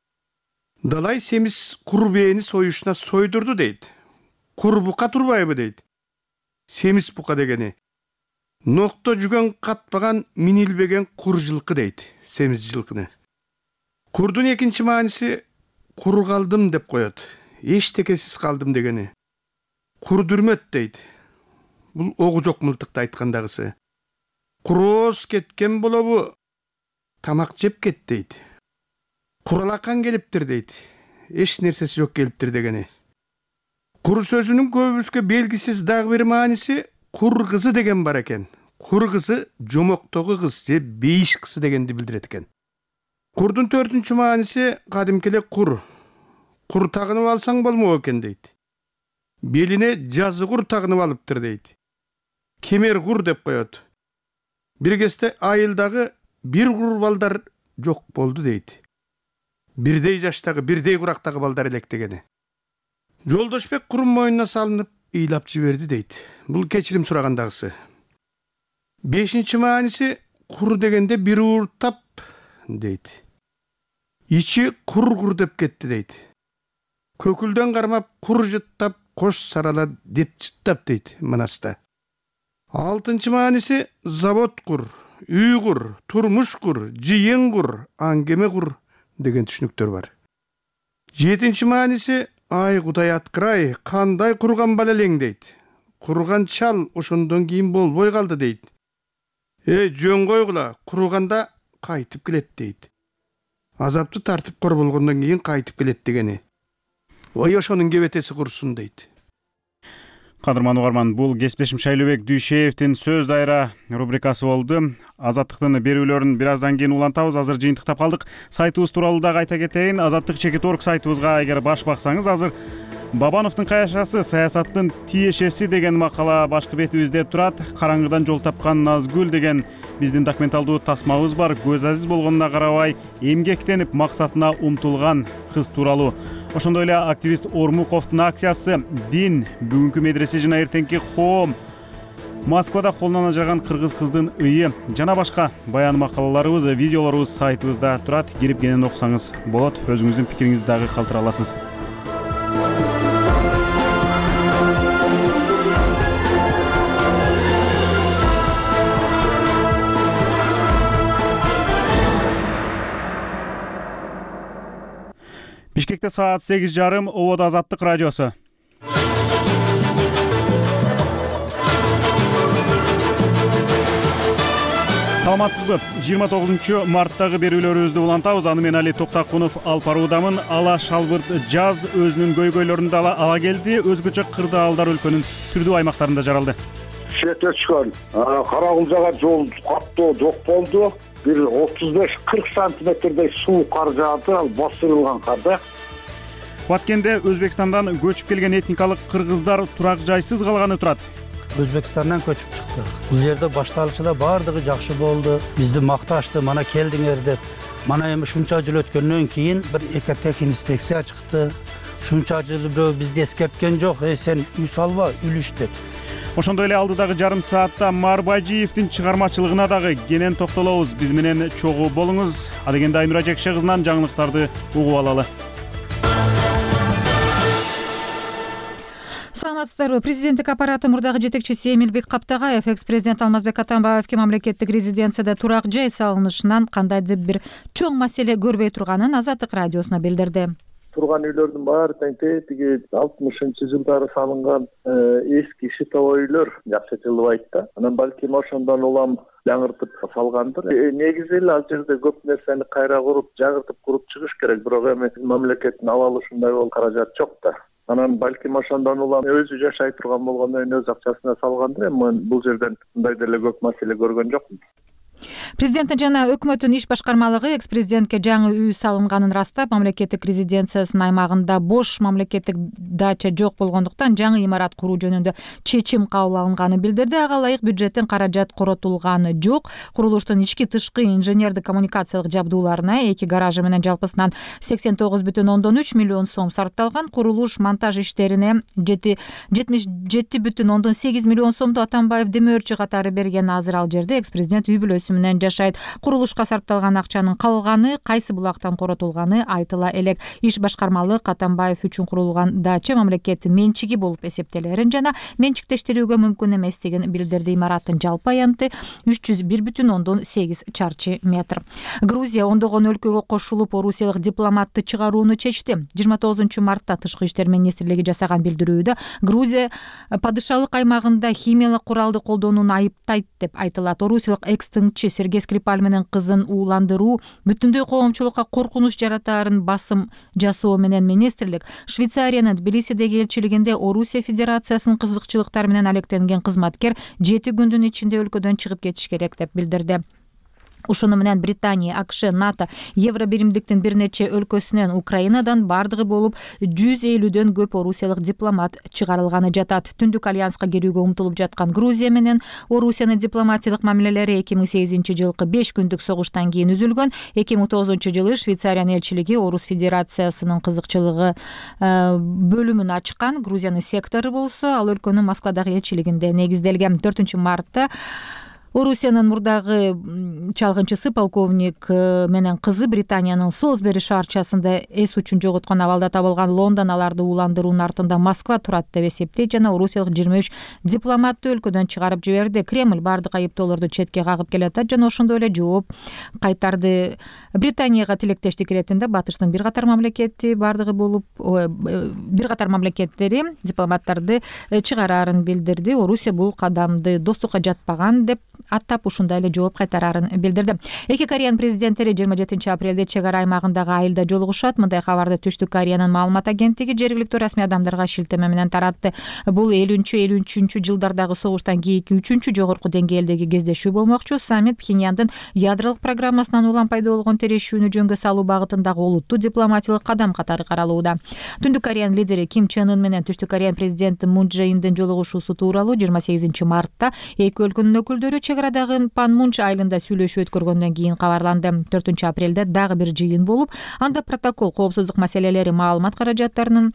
S25: Далай семиз кур бээни союшуна сойдурду дейт. Кур бука турбайбы дейт. Семиз бука дегени. Нокто жүгөн катпаган минилбеген кур жылкы дейт, семиз жылкыны. Курдун экинчи мааниси кур калдым деп коет. Эчтекесиз калдым дегени. Курдүрмөт дейт. Бул огу жок мылтыкты айткандагысы. Курооз кеткен болобу, тамак жеп кет дейт. Куралакан келиптир дейт. Эч нерсеси жок келиптир дегени. Кур сөзүнүн көбүбүзгө белгисиз дагы бир мааниси кур кызы деген бар экен. Кур кызы жомоктогу кыз же бейиш кызы дегенди билдирет экен. Курдун төртүнчү мааниси кадимки эле кур. Кур тагынып алсаң болмок экен дейт. Белине жазы кур тагынып алыптыр дейт. Кемер кур деп коет. Бир кезде айылдагы бир кур балдар жок болду дейт. Бирдей жаштагы, бирдей курактагы балдар элек дегени. Жолдошбек курун мойнуна салынып ыйлап жиберди дейт. Бул кечирим сурагандагысы. Бешинчи мааниси кур дегенде бир ууртап дейт. Ичи кур деп кетти дейт. Көкүлдөн кармап кур жыттап кош сарала деп жыттап дейт Манаста. Алтынчы мааниси завод кур, үй кур, турмуш кур, жыйын кур, аңгеме кур, деген түшүнүктөр бар. 7 мааниси ай Кудай аткырай, кандай курган бала элең дейт. Курган чал ошондон кийин болбой калды дейт. Жөн койгула, курганда кайтып келет дейт. Азапты тартып кор болгондон кийин кайтып келет дегени. Ой ошонун кебетеси курсун дейт.
S1: Кадырман угарман, бул кесиптешим Шайлообек Дүйшеевдин сөз дайра рубрикасы болду. Азаттыктын берүүлөрүн бир аздан кийин улантабыз. Азыр жыйынтыктап калдык. Сайтыбыз тууралуу дагы айта кетейин. Азаттык.org сайтыбызга эгер баш баксаңыз, азыр Бабановдун каяшасы саясаттын тиешеси деген макала башкы бетибизде турат. Караңгыдан жол тапкан Назгүл деген биздин документалдуу тасмабыз бар. Көз азиз болгонуна карабай, эмгектенип максатына умтулган кыз тууралуу. Ошондой эле активист Ормуковдун акциясы «Дин, бүгүнкү медресе жана эртеңки коом», Москвада колунан ажыраган кыргыз кыздын ыйы жана башка баян макалаларыбыз, видеолорубуз сайтыбызда турат. Кирип кенен окусаңыз болот. Өзүңүздүн пикириңизди дагы калтыра аласыз. Бишкекте саат 8:30, Ободо Азаттык радиосу. Саламатсызбы? 29 марттагы берүүлөрүбүздү улантабыз. Аны мен Али Токтакунов алып баруудамын. Ала шалбырт жаз өзүнүн көйгөйлөрүн ала келди. Өзгөчө кырдаалдар өлкөнүн түрдүү аймактарында жаралды.
S2: Шетечкан Каракулжага жол каттоо жок болду. Bir 35-40 santimetrдей суу кар жаады, ал басырылган карда.
S1: Баткенде Өзбекстандан көчүп келген этникалык кыргыздар турак жайсыз калганы турат.
S4: Өзбекстандан көчүп чыктык. Бул жерде башталышында бардыгы жакшы болду. Бизди макташты, мана келдиңер деп. Мана эми шунча жыл өткөндөн кийин бир экотехник инспекция чыкты. Шунча жыл бирөө бизди эскерткен жок, сен үй салба, үлүш деп.
S1: Ошондой эле алдыдагы жарым саатта Марбажиевдин чыгармачылыгына дагы кенен токтолобуз. Биз менен чогуу болуңуз. Адегенде Айнура Жекше кызынан жаңылыктарды угуп алалы.
S5: Саламатсыздарбы? Президенттик аппараты мурдагы жетекчиси Эмилбек Каптагаев экс-президент Алмазбек Атамбаевге мамлекеттик резиденцияда турак жай салынышынан кандайдыр бир чоң маселе көрбөй турганын Азаттык радиосуна билдирди.
S13: Турган үйлөрдүн баары тең тиги 60-жылдары салынган эски шитовой үйлөр жакшы жылыбайт да. Анан балким ошондон улам жаңыртып салгандыр. Негизи эле ал жерде көп нерсени кайра куруп, жагыртып куруп чыгыш керек. Бирок эми мамлекеттин ала алышындай бол каражат жок да. Анан балким ошондон улам өзү жашай турган болгондон кийин өз акчасына салгандыр. Эми бул жерден мындай деле көп маселе көргөн жокмун.
S5: Президенттин жана өкмөттүн иш башкармалыгы экс-президентке жаңы үй салынганын ырастап, мамлекеттик резиденциясынын аймагында бош мамлекеттик дача жок болгондуктан жаңы имарат куруу жөнүндө чечим кабыл алынганын билдирди. Ага ылайык бюджеттен каражат коротулганы жок. Курулуштун ички тышкы инженердик коммуникациялык жабдууларына 2 гаражы менен жалпысынан 89,3 миллион сом сарпталган. Курулуш монтаж иштерине 77,8 миллион сомду Атамбаев демөөрчү катары берген. Азыр ал жерде экс-президент үй бүлөсү менен жашайт. Курулушка сарпталган акчанын калганы кайсы булактан коротулганы айтыла элек. Иш башкармалык Атамбаев үчүн курулган дача мамлекеттин менчиги болуп эсептелерин жана менчиктештирүүгө мүмкүн эместигин билдирди. Имараттын жалпы аянты 301,8 чарчы метр. Грузия ондогон өлкөгө кошулуп, орусиялык дипломатты чыгарууну чечти. 29 мартта Тышкы иштер министрлиги жасаган билдирүүдө Грузия падышалык аймагында химиялык куралды колдонууну айыптайт деп айтылат. Орусиялык экс-тыңчы Сергей Скрипаль менен кызын ууландыруу бүтүндөй коомчулукка коркунуч жаратаарын басым жасоо менен министрлик Швейцариянын Тбилисидеги элчилигинде Орусия Федерациясынын кызыкчылыктары менен алектенген кызматкер 7 күндүн ичинде өлкөдөн чыгып кетиш керек деп билдирди. Ушуну менен Британия, АКШ, НАТО, Евробиримдиктин бир нече өлкөсүнөн, Украинадан бардыгы болуп 150дөн көп орусиялык дипломат чыгарылганы жатат. Түндүк альянска кирүүгө умтулуп жаткан Грузия менен Орусиянын дипломатиялык мамилелери 2008-жылкы 5 күндүк согуштан кийин үзүлгөн. 2009-жылы Швейцариянын элчилиги Орус Федерациясынын кызыкчылыгы бөлүмүн ачкан. Грузиянын сектору болсо ал өлкөнүн Москвадагы элчилигинде негизделген. 4 мартта Орусиянын мурдагы чалгынчысы полковник менен кызы Британиянын Солсбери шаарчасында эс учун жоготкон абалда табылган. Лондон аларды ууландыруунун артында Москва турат деп эсептейт жана орусиялык 23 дипломатты өлкөдөн чыгарып жиберди. Кремль бардык айыптоолорду четке кагып келатат жана ошондой эле жооп кайтарды. Британияга тилектештик иретинде батыштын бир катар мамлекеттери дипломаттарды чыгарарын билдирди. Орусия бул кадамды достукка жатпаган деп аттап ушундай эле жооп кайтарарын билдирди. Эки Кореянын президенттери 27 апрелде чек ара аймагындагы айылда жолугушат. Мындай кабарды Түштүк Кореянын маалымат агенттиги жергиликтүү расмий адамдарга шилтеме менен таратты. Бул 50-53 жылдардагы согуштан кийинки 3 жогорку деңгээлдеги кездешүү болмокчу. Саммит Пхеньяндын ядролук программасынан улам пайда болгон терешүүнү жөнгө салуу багытындагы олуттуу дипломатиялык кадам катары каралууда. Түндүк Кореянын лидери Ким Чен Ын менен Түштүк Кореянын президенти Мун Чже Индин жолугушуусу тууралуу 28 мартта эки өлкөнүн өкүлдөрү чек арадагы Панмунч айылында сүйлөшүү өткөргөндөн кийин кабарланды. 4 апрелде дагы бир жыйын болуп, анда протокол, коопсуздук маселелери, маалымат каражаттарынын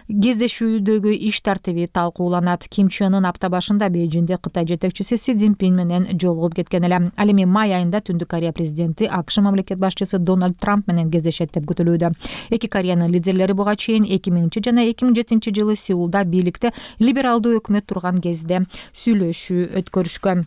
S5: кездешүүдөгү иш тартиби талкууланат. Ким Чен Ын апта башында Бейжиңде Кытай жетекчиси Си Цзиньпин менен жолугуп кеткен эле. Ал эми май айында Түндүк Корея президенти АКШ мамлекет башчысы Дональд Трамп менен кездешет деп күтүлүүдө. Эки Кореянын лидерлери буга чейин 2000 жана 2007 жылы Сеулда бийликте либералдуу өкмөт турган кезде сүйлөшүү өткөрүшкөн.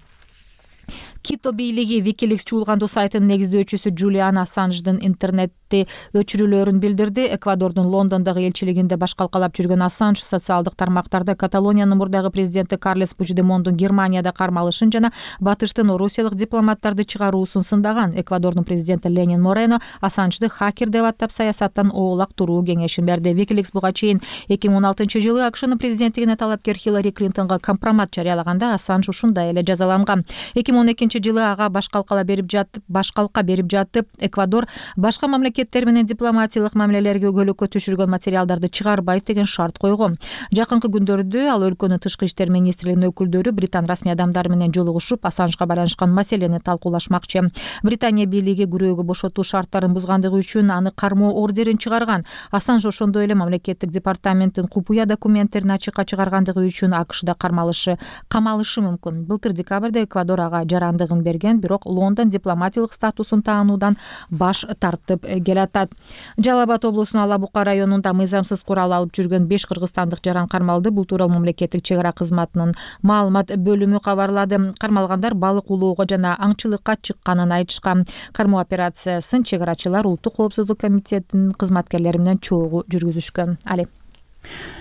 S5: Кито бийлиги Wikileaks чуулгандуу сайтынын негиздөөчүсү Джулиан Ассанждын интернетти өчүрүүлөрүн билдирди. Эквадордун Лондондогу элчилигинде баш калкалап жүргөн Ассанж социалдык тармактарда Каталониянын мурдагы президенти Карлес Пучдемондун Германияда кармалышын жана батыштын орусиялык дипломаттарды чыгаруусун сындаган. Эквадордун президенти Ленин Морено Ассанжды хакер деп аттап саясаттан оолак туруу кеңешин берди. Wikileaks буга чейин 2016 жылы АКШнын президенттигине талапкер Хиллари Клинтонго компромат жарыялаганда Ассанж ушундай эле жазаланган. 2012 жылы ага баш калка берип жатып, Эквадор башка мамлекеттер менен дипломатиялык мамилелерге көлөккө түшүргөн материалдарды чыгарбайт деген шарт койгон. Жакынкы күндөрдө ал өлкөнүн тышкы иштер министрлигинин өкүлдөрү британ расмий адамдары менен жолугушуп, Ассанжга байланышкан маселени талкуулашмакчы. Британия бийлиги күрөөгө бошотуу шарттарын бузгандыгы үчүн аны кармоо ордерин чыгарган. Ассанж ошондой эле мамлекеттик департаменттин купуя документтерин ачыкка чыгаргандыгы үчүн АКШда камалышы мүмкүн. Былтыр декабрда Эквадор ага жарандыгын берген, бирок Лондон дипломатиялык статусун таануудан баш тартып келатат. Жалал Абад облусунун Алабука районунда мыйзамсыз курал алып жүргөн 5 кыргызстандык жаран кармалды. Бул тууралуу мамлекеттик чек ара кызматынын маалымат бөлүмү кабарлады. Кармалгандар балык улоого жана аңчылыкка чыкканын айтышкан. Кармоо операциясын чек арачылар Улуттук коопсуздук комитетинин кызматкерлери менен чогуу жүргүзүшкөн.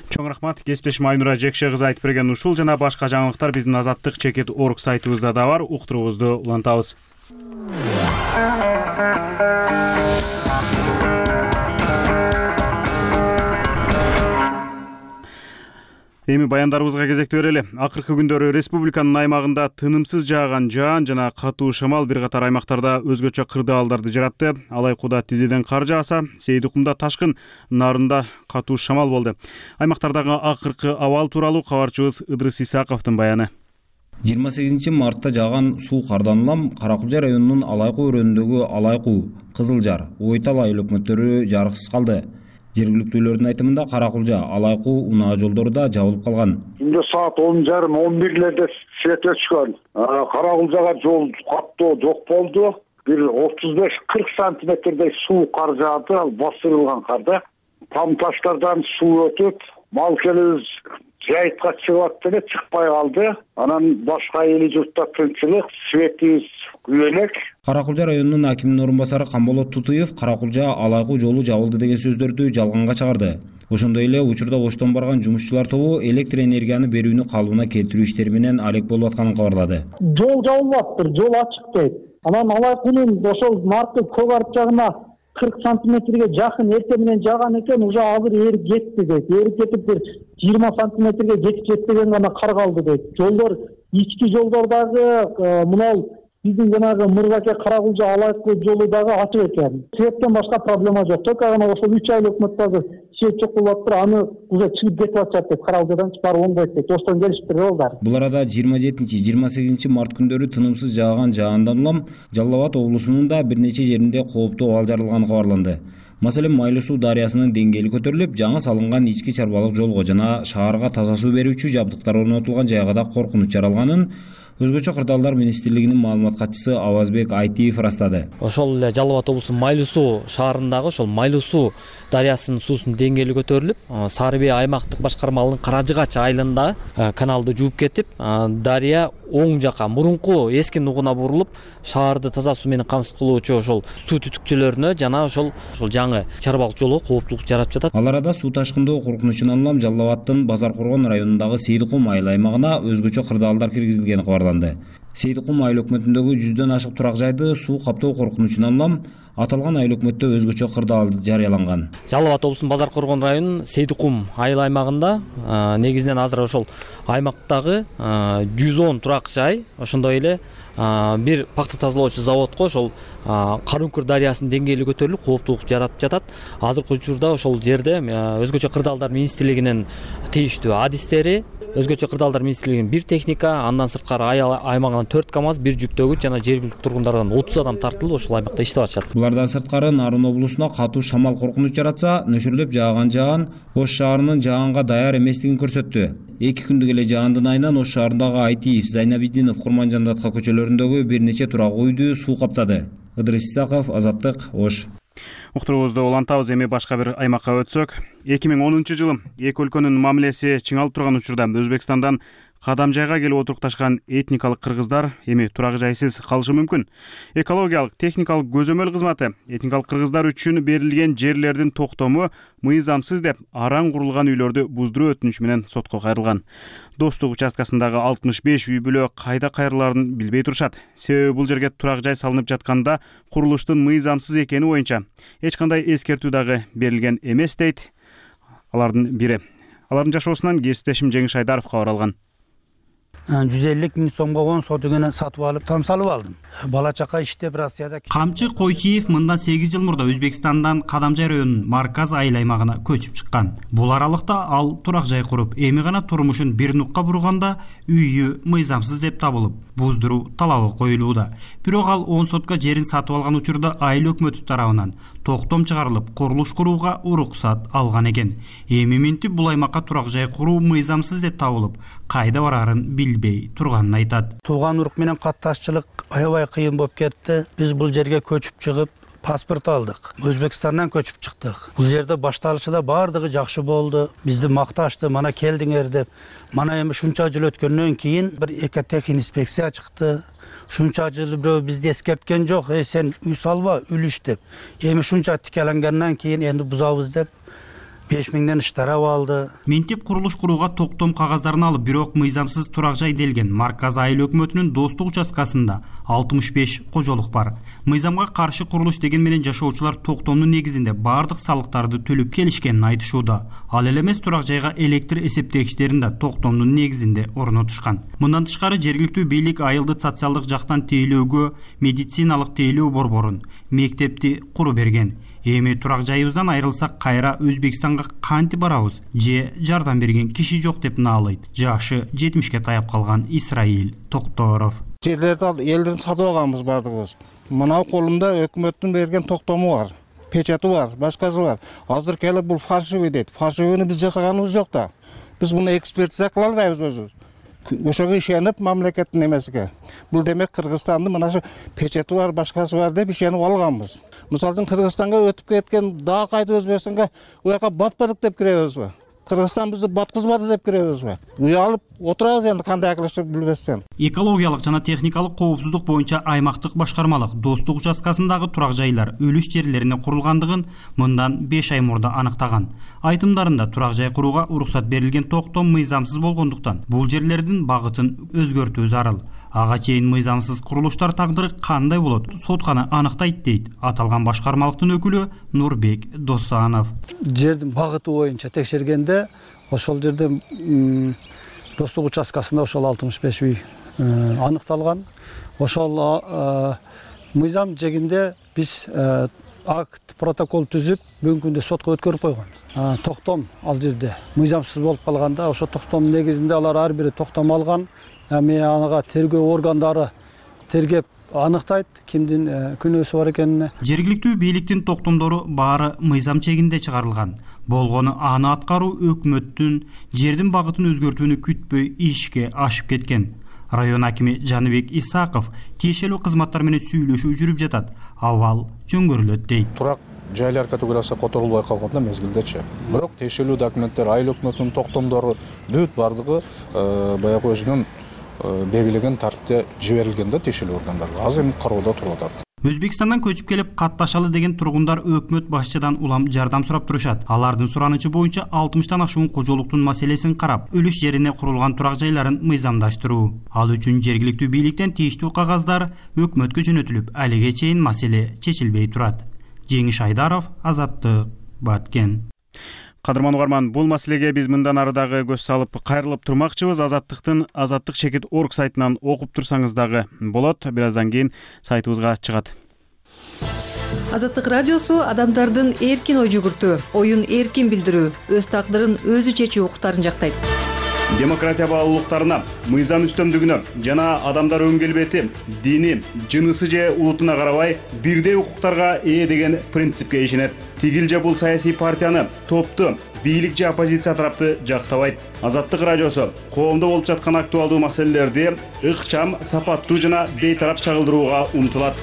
S1: Чоң рахмат. Кесиптешим Айнура Жекше кызы айтып берген ушул жана башка жаңылыктар биздин азаттык чекит.org сайтыбызда да бар. Уктуруубузду улантабыз. Эми баяндарыбызга кезекти берели. Акыркы күндөрү республиканын аймагында тынымсыз жааган жаан жана катуу шамал бир катар аймактарда өзгөчө кырдаалдарды жаратты. Алайкуда тизеден кар жааса, Сейдикумда ташкын, Нарында катуу шамал болду. Аймактардагы акыркы абал тууралуу кабарчыбыз Ыдрыс Исаковдун баяны.
S6: 28 мартта жааган суу кардан улам Каракулжа районунун Алайкуу өрөөнүндөгү Алайкуу, Кызылжар, Ойтал айыл өкмөттөрү жарыксыз калды. Жергиликтүүлөрдүн айтымында Каракулжа, Алайкуу унаа жолдору да жабылып калган.
S2: Түндө саат 10:30-11:00 свет өчкөн. Каракулжага жол каттоо жок болду. Бир 35-40 сантиметрдей суу кар жаады, ал басырылган карда. Там таштардан суу өтүп, мал келебиз жайытка чыгып атты эле, чыкпай калды. Анан башка эли журтта тынчылык, светибиз күбөлөк.
S6: Каракулжа районунун акиминин орун басары Камболот Тутуев Каракулжа Алайкуу жолу жабылды деген сөздөрдү жалганга чыгарды. Ошондой эле учурда оштон барган жумушчулар тобу электр энергияны берүүнү калыбына келтирүү иштери менен алек болуп атканын кабарлады.
S7: Жол жабылып атыптыр, жол ачык дейт. Анан Алайкуунун ошол наркы көк арт жагына 40 сантиметрге жакын эртең менен жааган экен, уже азыр эрип кетти дейт. Эрип кетип бир 20 сантиметрге жетпеген гана кар калды дейт. Жолдор, ички жолдордагы мынау биздин жанагы Мырзаке Каракулжа Алайкуу жолу дагы ачык экен. Светтен башка проблема жок. Только гана ошол 3 айыл өкмөттөгү свет жок болуп атыптыр, аны уже чыгып кетип атышат деп Каракулжадан барып оңдойт дейт. Оштон келишиптир балдар.
S6: Бул арада 27-28 март күндөрү тынымсыз жааган жаандан улам Жалал Абад облусунун да бир нече жеринде кооптуу абал жаралганы кабарланды. Маселен, Майлуу суу дарыясынын деңгээли көтөрүлүп, жаңы салынган ички чарбалык жолго жана шаарга таза суу берүүчү жабдыктар орнотулган жайга да коркунуч жаралганын, Өзгөчө кырдаалдар министрлигинин маалымат катчысы Авазбек Айтиев ырастады.
S8: Ошол эле Жалал Абад облусунун Майлуу суу шаарындагы ошол Майлуу суу дарыясынын суусунун деңгээли көтөрүлүп, Сары Бей аймактык башкармалыгынын Каражыгач айылында каналды жууп кетип, дарыя оң жака мурунку эски нугуна бурулуп, шаарды таза суу менен камсыз кылуучу ошол суу түтүкчөлөрүнө жана ошол жаңы чарбалык жолго кооптулук жаратып жатат.
S6: Ал арада суу ташкындоо коркунучунан улам Жалал Абадтын Базар Коргон районундагы Сейдикум айыл аймагына өзгөчө кырдаалдар киргизилгени кабарланды. Сейдикум айыл өкмөтүндөгү 100дөн ашык турак жайды суу каптоо коркунучунан улам аталган айыл өкмөттө өзгөчө кырдаал жарыяланган.
S8: Жалал Абад облусунун Базар Коргон районунун Сейдикум айыл аймагында негизинен азыр ошол аймактагы 110 турак жай, ошондой эле бир пакта тазалоочу заводко ошол Карункур дарыясынын деңгээли көтөрүлүп, кооптулук жаратып жатат. Азыркы учурда ошол жерде өзгөчө кырдаалдар министрлигинин тийиштүү адистери, өзгөчө кырдаалдар министрлигинин бир техника, андан сырткары айыл аймагынан 4 КАМАЗ, бир жүктөгүч жана жергиликтүү тургундардан 30 адам тартылып ошол аймакта иштеп атышат.
S6: Булардан сырткары Нарын облусуна катуу шамал коркунуч жаратса, нөшөрлөп жааган Ош шаарынын жаганга даяр эместигин көрсөттү. 2 күндүк эле жаандын айынан Ош шаарындагы Айтиев, Зайнабидинов, Курманжандатка көчөлөрүндөгү бир нече турак үйдү суу каптады. Ыдырыс Исаков, Азаттык, Ош.
S1: Уктуруубузду улантабыз. Эми башка бир аймакка өтсөк, 2010-жылы эки өлкөнүн мамилеси чыңалып турган учурда Өзбекстандан кадам жайга келип отурукташкан этникалык кыргыздар эми турак жайсыз калышы мүмкүн. Экологиялык техникалык көзөмөл кызматы этникалык кыргыздар үчүн берилген жерлердин токтому мыйзамсыз деп араң курулган үйлөрдү буздуруу өтүнүчү менен сотко кайрылган. Достук участкасындагы 65 үй бүлө кайда кайрылаарын билбей турушат. Себеби бул жерге турак жай салынып жатканда курулуштун мыйзамсыз экени боюнча эч кандай эскертүү дагы берилген эмес дейт алардын бири. Алардын жашоосунан кесиптешим Жеңиш Айдаров кабар алган.
S4: 150 миң сомго 10 сотугуна сатып алып, там салып алдым. Бала чака иштеп Россияда.
S1: Камчы Койчиев мындан 8 жыл мурда Өзбекстандан Кадамжай районунун Марказ айыл аймагына көчүп чыккан. Бул аралыкта ал турак жай куруп, эми гана турмушун бир нукка бурганда үйү мыйзамсыз деп табылып, буздуруу талабы коюлууда. Бирок ал 10 сотка жерин сатып алган учурда айыл өкмөтү тарабынан токтом чыгарылып, курулуш курууга уруксат алган экен. Эми минтип бул аймакка турак жай куруу мыйзамсыз деп табылып, кайда барарын билбей турганын айтат.
S4: Тууган урук менен катташчылык аябай кыйын болуп кетти. Биз бул жерге көчүп чыгып, паспорт алдык. Өзбекстандан көчүп чыктык. Бул жерде башталышында бардыгы жакшы болду. Бизди макташты, мана келдиңер деп. Мана эми шунча жыл өткөндөн кийин бир экотехинспекция чыкты. Шунча жыл бирөө бизди эскерткен жок. Сен үй салба, үлүш деп. Эми шунча тикеленгенден кийин энди бузабыз деп 5 миңден иштарап алды.
S1: Минтип курулуш курууга токтом кагаздарын алып, бирок мыйзамсыз турак жай делген Марказ айыл өкмөтүнүн Достук участкасында 65 кожолук бар. Мыйзамга каршы курулуш деген менен жашоочулар токтомдун негизинде бардык салыктарды төлөп келишкенин айтышууда. Ал эле эмес, турак жайга электр эсептегичтерин да токтомдун негизинде орнотушкан. Мындан тышкары жергиликтүү бийлик айылды социалдык жактан тейлөөгө медициналык тейлөө борборун, мектепти куру берген. Эми турак жайыбыздан айрылсак кайра Өзбекстанга кантип барабыз? Же жардам берген киши жок деп наалайт жашы 70ке таяп калган Исраил Токторов.
S9: Жерлерди элден сатып алганбыз бардыгыбыз. Мына колумда өкмөттүн берген токтому бар, печаты бар, башкасы бар. Азыр келип бул фальшивый дейт. Фальшивыйны биз жасаганыбыз жок да. Биз муну экспертиза кыла албайбыз өзүбүз. Ошого ишенип мамлекеттин эмесиге. Бул демек Кыргызстандын мына шу печати бар, башкасы бар деп ишенип алганбыз. Мисалы үчүн Кыргызстанга өтүп кеткен дагы кайда Өзбекстанга уяка батпадык деп киребизби? Кыргызстан бизди баткызбады деп киребизби? Уялып отурабыз энди кандай акылышып билбестен.
S1: Экологиялык жана техникалык коопсуздук боюнча аймактык башкармалык Достук участкасындагы турак жайлар үлүш жерлерине курулгандыгын мындан 5 ай мурда аныктаган. Айтымдарында турак жай курууга уруксат берилген токтом мыйзамсыз болгондуктан бул жерлердин багытын өзгөртүү зарыл. Ага чейин мыйзамсыз курулуштар тагдыры кандай болот? Сотканы аныктайт дейт аталган башкармалыктын өкүлү Нурбек Досанов.
S10: Жердин багыты боюнча текшергенде ошол жерде Достук участкасында ошол 65 үй аныкталган. Ошол мыйзам жегинде биз акт, протокол түзүп, бүгүнкү күндө сотко өткөрүп койгонбуз. Токтом ал жерде мыйзамсыз болуп калганда, ошо токтом негизинде алар ар бири токтом алган. Эми ага тергөө органдары тергеп аныктайт кимдин күнөөсү бар экенине.
S1: Жергиликтүү бийликтин токтомдору баары мыйзам чегинде чыгарылган. Болгону аны аткаруу өкмөттүн жердин багытын өзгөртүүнү күтпөй ишке ашып кеткен. Район акими Жаныбек Исаков тиешелүү кызматтар менен сүйлөшүү жүрүп жатат. Абал жөнгөрүлөт дейт.
S11: Турак жайлар категориясы которулбай калганда мезгилдечи. Бирок тиешелүү документтер, айыл өкмөтүнүн токтомдору бүт бардыгы баягы өзүнүн белгилеген тартипте жиберилген да тиешелүү органдарга. Азыр эми кароодо туруп атат.
S1: Өзбекстандан көчүп келип катташалы деген тургундар өкмөт башчыдан улам жардам сурап турушат. Алардын суранычы боюнча 60тан ашуун кожолуктун маселесин карап, үлүш жерине курулган турак жайларын мыйзамдаштыруу. Ал үчүн жергиликтүү бийликтен тийиштүү кагаздар өкмөткө жөнөтүлүп, алиге чейин маселе чечилбей турат. Жеңиш Айдаров, Азаттык, Баткен. Кадырман угарман, бул маселеге биз мындан ары дагы көз салып кайрылып турмакчыбыз. Азаттык чекит орг сайтынан окуп турсаңыз дагы болот. Бир аздан кийин сайтыбызга чыгат.
S12: Азаттык радиосу адамдардын эркин ой жүгүртүү, оюн эркин билдирүү, өз тагдырын өзү чечүү укуктарын жактайт.
S1: Демократия баалуулуктарына, мыйзам үстөмдүгүнө жана адамдар өң келбети, дини, жынысы же улутуна карабай бирдей укуктарга ээ деген принципке ишенет. Тигил же бул саясий партияны, топту, бийлик же оппозиция тарапты жактабайт. Азаттык радиосу коомдо болуп жаткан актуалдуу маселелерди ыкчам, сапаттуу жана бейтарап чагылдырууга умтулат.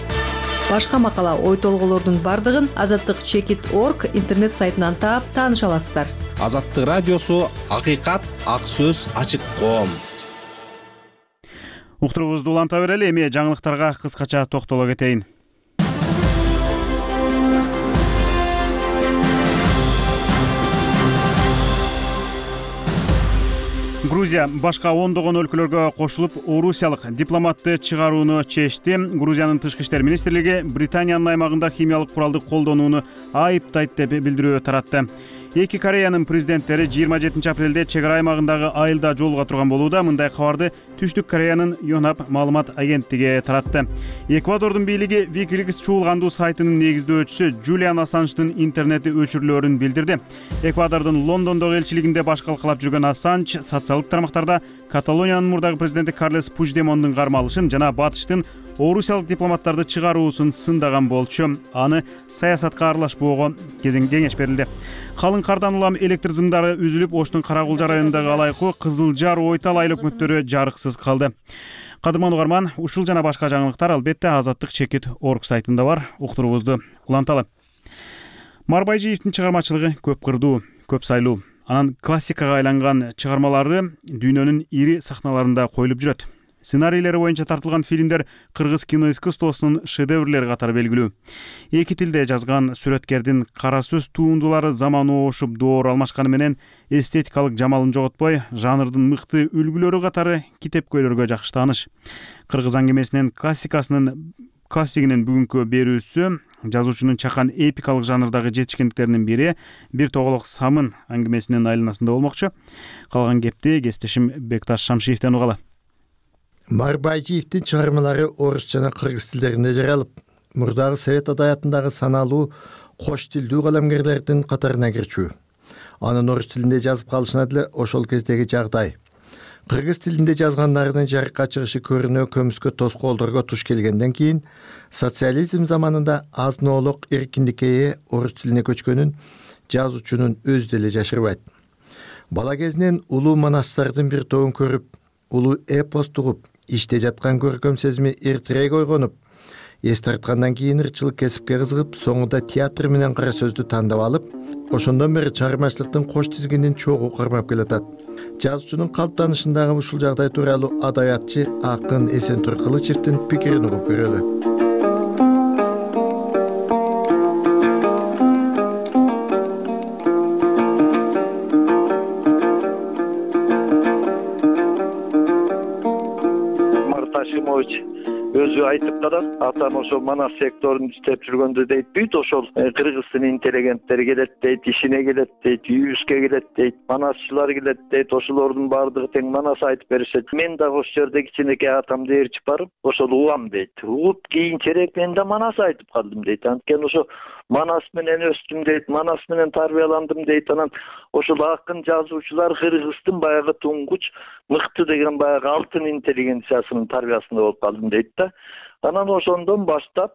S12: Башка макала, ой толголордун бардыгын Азаттык чекит орг интернет сайтынан таап тааныша аласыздар.
S3: Азаттык радиосу акыйкат, ак сөз, ачык коом.
S1: Уктуруубузду уланта берели, эми жаңылыктарга кыскача токтоло кетейин. Грузия башка ондогон өлкөлөргө кошулуп, орусиялык дипломатты чыгарууну чечти. Грузиянын тышкы иштер министрлиги Британиянын аймагында химиялык куралды колдонууну айыптайт деп билдирүү таратты. Эки Кореянын президенттери 27 апрелде чек ара аймагындагы айылда жолуга турган болууда. Мындай кабарды Түштүк Кореянын Yonhap маалымат агенттиги таратты. Эквадордун бийлиги Wikileaks чуулгандуу сайтынын негиздөөчүсү Джулиан Ассанждын интернети өчүрүлөөрүн билдирди. Эквадордун Лондондогу элчилигинде баш калкалап жүргөн Ассанж социалдык тармактарда Каталониянын мурдагы президенти Карлес Пучдемондун кармалышын жана батыштын орусиялык дипломаттарды чыгаруусун сындаган болчу. Аны саясатка аралашпоого кеңеш берилди. Калың кардан улам электр зымдары үзүлүп, Оштун Каракулжа районундагы Алайкуу, Кызыл Жар, Ойтал айыл өкмөттөрү жарыксыз калды. Кадырман угарман, ушул жана башка жаңылыктар албетте Азаттык чекит орг сайтында бар. Уктуруубузду уланталы. Марбайжиевдин чыгармачылыгы көп кырдуу, көп сайлуу. Анын классикага айланган чыгармалары дүйнөнүн ири сахналарында коюлуп жүрөт. Сценарийлери боюнча тартылган фильмдер кыргыз киноискусствосунун шедеврлери катары белгилүү. Эки тилде жазган сүрөткердин кара сөз туындулары заманы ошуп доор алмашканы менен эстетикалык жамалын жоготпой, жанрдын мыкты үлгүлөрү катары китепкөйлөргө жакшы тааныш. Кыргыз аңгемесинин классигинин бүгүнкү берүүсү жазуучунун чакан эпикалык жанрдагы жетишкендиктеринин бири Бир тоголок самын аңгемесинин айланасында болмокчу. Калган кепти кесиптешим Бекташ Шамшиевден угалы.
S14: Марбайжиевдин чыгармалары орус жана кыргыз тилдеринде жаралып, мурдагы совет адаятындагы саналуу кош тилдүү калемгерлердин катарына кирчү. Анын орус тилинде жазып калышына деле ошол кездеги жагдай. Кыргыз тилинде жазгандарынын жарыкка чыгышы көрүнө көмүскө тоскоолдорго туш келгенден кийин социализм заманында азын-оолук эркиндикке ээ орус тилине көчкөнүн жазуучунун өзү деле жашырбайт. Бала кезинен улуу манастардын бир тобун көрүп, улуу эпос тугуп, иште жаткан көркөм сезими эртерээк ойгонуп, эс тарткандан кийин ырчылык кесипке кызыгып, соңунда театр менен кара сөздү тандап алып, ошондон бери чыгармачылыктын кош тизгинин чогуу кармап келатат. Жазуучунун калыптанышындагы ушул жагдай тууралуу адабиятчы акын Эсентур Кылычевдин пикирин угуп көрөлү.
S15: Өзү айтып калат, атам ошол манас секторунда иштеп жүргөндө дейт, бүт ошол кыргыздын интеллигенттери келет дейт, ишине келет дейт, үйүбүзгө келет дейт, манасчылар келет дейт, ошолордун баардыгы тең манас айтып беришет. Мен дагы ошол жерде кичинекей атамды ээрчип барып, ошол угам дейт. Угуп кийинчерээк мен да манас айтып калдым дейт. Анткени ошо манас менен өстүм дейт, манас менен тарбияландым дейт. Анан ошол акын жазуучулар кыргыздын баягы туңгуч мыкты деген баягы алтын интеллигенциясынын тарбиясында болуп калдым дейт да. Анан ошондон баштап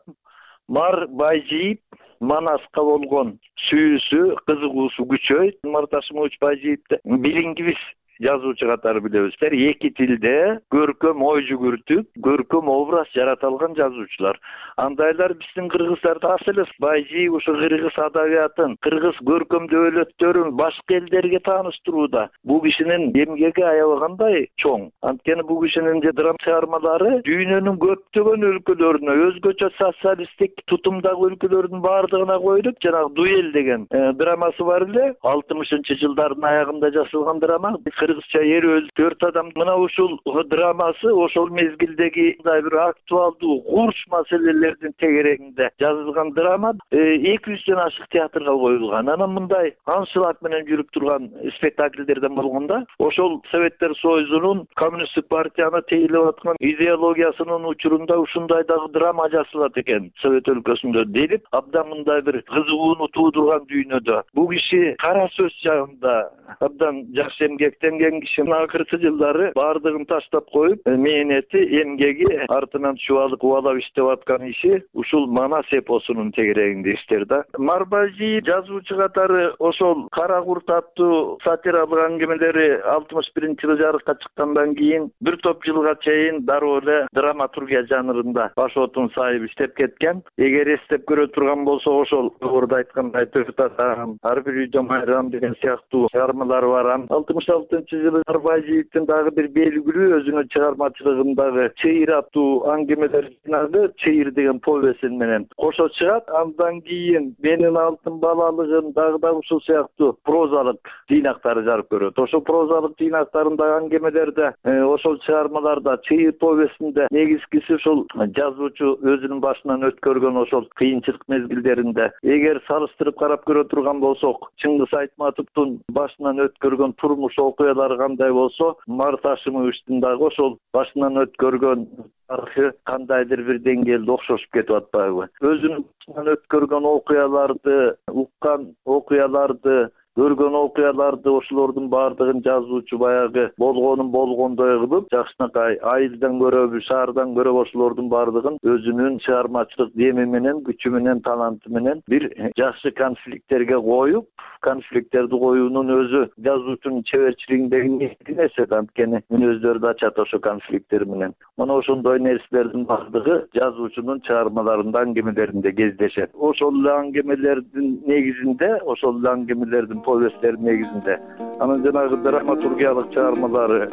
S15: Байжиев манаска болгон сүйүүсү, кызыгуусу күчөйт. Марташимович Байжиевди билингибиз жазуучу катары билебиз. Эки тилде көркөм ой жүгүртүп, көркөм образ жарата алган жазуучулар. Андайлар биздин кыргыздарда аз элес. Байжи ушу кыргыз адабиятын, кыргыз көркөм дөөлөттөрүн башка элдерге тааныштырууда бул кишинин эмгеги аябагандай чоң. Анткени бул кишинин драма чыгармалары дүйнөнүн көптөгөн өлкөлөрүнө, өзгөчө социалисттик тутумдагы өлкөлөрдүн баардыгына коюлуп, жанагы дуэль деген драмасы бар эле, 60-жылдардын аягында жасалган драма. Кыргызча эр өз 4 адам. Мына ушул драмасы ошол мезгилдеги бир актуалдуу курч маселелердин тегерегинде жазылган драма 200дөн ашык театрга коюлган. Анан мындай аншлаг менен жүрүп турган спектакльдерден болгондо ошол Советтер Союзунун коммунисттик партияны тейлеп аткан идеологиясынын учурунда ушундай дагы драма жасалат экен Совет өлкөсүндө деп абдан мындай бир кызыгууну туудурган дүйнөдө. Бул киши кара сөз жагында абдан жакшы эмгектенген киши. Акыркы жылдары баардыгын таштап коюп, мээнети, эмгеги артынан чубалып убалап иштеп аткан иши ушул Манас эпосунун тегерегинде иштер да. Марбажи жазуучу катары ошол Кара курт аттуу сатиралык аңгемелери 61-жылы жарыкка чыккандан кийин бир топ жылга чейин дароо эле драматургия жанрында баш отун сайып иштеп кеткен. Эгер эстеп көрө турган болсо ошол жогоруда айткандай Төрт адам, Ар бир үйдө майрам деген сыяктуу чыгармалары бар. 66-жылы Марбажиевдин дагы бир белгилүү өзүнүн чыгармачылыгындагы Чейир аттуу аңгемелер жинагы Чейир деген повесин менен кошо чыгат. Андан кийин Менин алтын балалыгым дагы ушул сыяктуу прозалык жыйнактары жарык көрөт. Ошол прозалык жыйнактарындагы аңгемелерде, ошол чыгармаларда Чейир повесинде негизгиси ушул жазуучу өзүнүн башынан өткөргөн ошол кыйынчылык мезгилдеринде эгер салыштырып карап көрө турган болсок, Чыңгыз Айтматовдун башынан өткөргөн турмуш окуялары кандай болсо, Март Ашимовичтин дагы ошол башынан өткөргөн тарыхы кандайдыр бир деңгээлде окшошуп кетип атпайбы? Өзүнүн башынан өткөргөн окуяларды, уккан окуяларды, көргөн окуяларды ошолордун баардыгын жазуучу баягы болгонун болгондой кылып, жакшынакай айылдан көрөбү, шаардан көрөбү ошолордун баардыгын өзүнүн чыгармачылык деми менен, күчү менен, таланты менен бир жакшы конфликттерге коюп, конфликттерди коюунун өзү жазуучунун чеберчилигиндеги негизги нерсе. Анткени мүнөздөрү да ачат ошо конфликттер менен. Мына ошондой нерселердин баардыгы жазуучунун чыгармаларында, аңгемелеринде кездешет. Ошол эле аңгемелердин негизинде, ошол эле аңгемелердин повесттердин негизинде анан жанагы драматургиялык чыгармалары,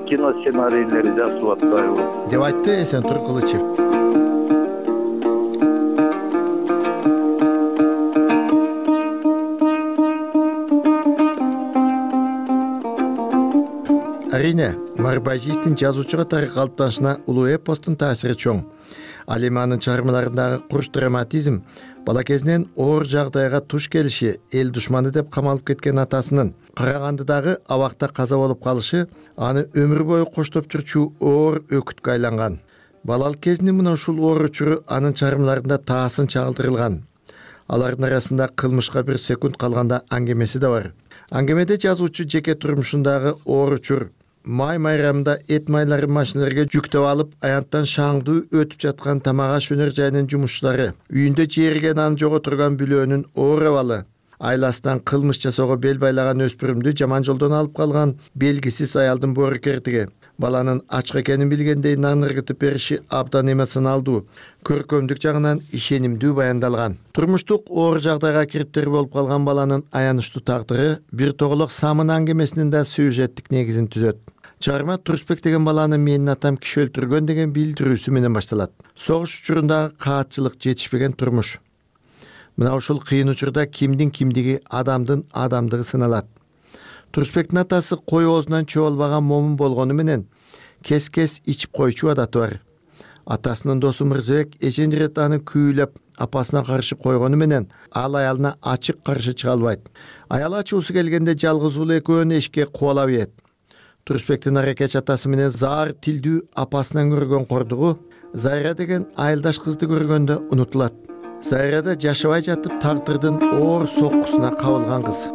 S15: кино сценарийлери жазылып атпайбы
S14: деп айтты Эсентур Кылычев. Арине, Марбажиевдин жазуучу катары калыптанышына улуу эпостун таасири чоң. Ал эми анын чыгармаларындагы курч драматизм, бала кезинен оор жагдайга туш келиши, эл душманы деп камалып кеткен атасынын Карагандыдагы абакта каза болуп калышы аны өмүр бою коштоп жүрчү оор өкүткө айланган. Балалык кезинин мына ушул оор учуру анын чыгармаларында таасын чагылдырылган. Алардын арасында кылмышка бир секунд калганда аңгемеси да бар. Аңгемеде жазуучу жеке турмушундагы оор учур, май майрамында эт майларын машиналарга жүктөп алып, аянттан шаңдуу өтүп жаткан тамак аш өнөр жайынын жумушчулары, үйүндө жээрген аны жоготурган бүлөөнүн оор абалы, айласынан кылмыш жасоого бел байлаган өспүрүмдү жаман жолдон алып калган белгисиз аялдын боорукердиги, баланын ачык экенин билгендей нан ыргытып бериши абдан эмоционалдуу, көркөмдүк жагынан ишенимдүү баяндалган. Турмуштук оор жагдайга кириптер болуп калган баланын аянычтуу тагдыры бир тоголок Самын аңгемесинин да сюжеттик негизин түзөт. Чыгарма Турсбек деген баланы менин атам киши өлтүргөн деген билдирүүсү менен башталат. Согуш учурундагы каатчылык, жетишпеген турмуш. Мына ушул кыйын учурда кимдин кимдиги, адамдын адамдыгы сыналат. Турсбектин атасы кой оозунан чөбөлбаган момун болгону менен кес-кес ичип койчу адаты бар. Атасынын досу Мырзабек эчен ирет аны күүлөп апасына каршы койгону менен ал аялына ачык каршы чыга албайт. Аял ачуусу келгенде жалгыз уулу экөөнү эшикке кубалап ийет. Турсбектин аракеч атасы менен заар тилдүү апасынан көргөн кордугу Зайра деген айылдаш кызды көргөндө унутулат. Зайра да жашабай жатып тагдырдын оор соккусуна кабылган кыз.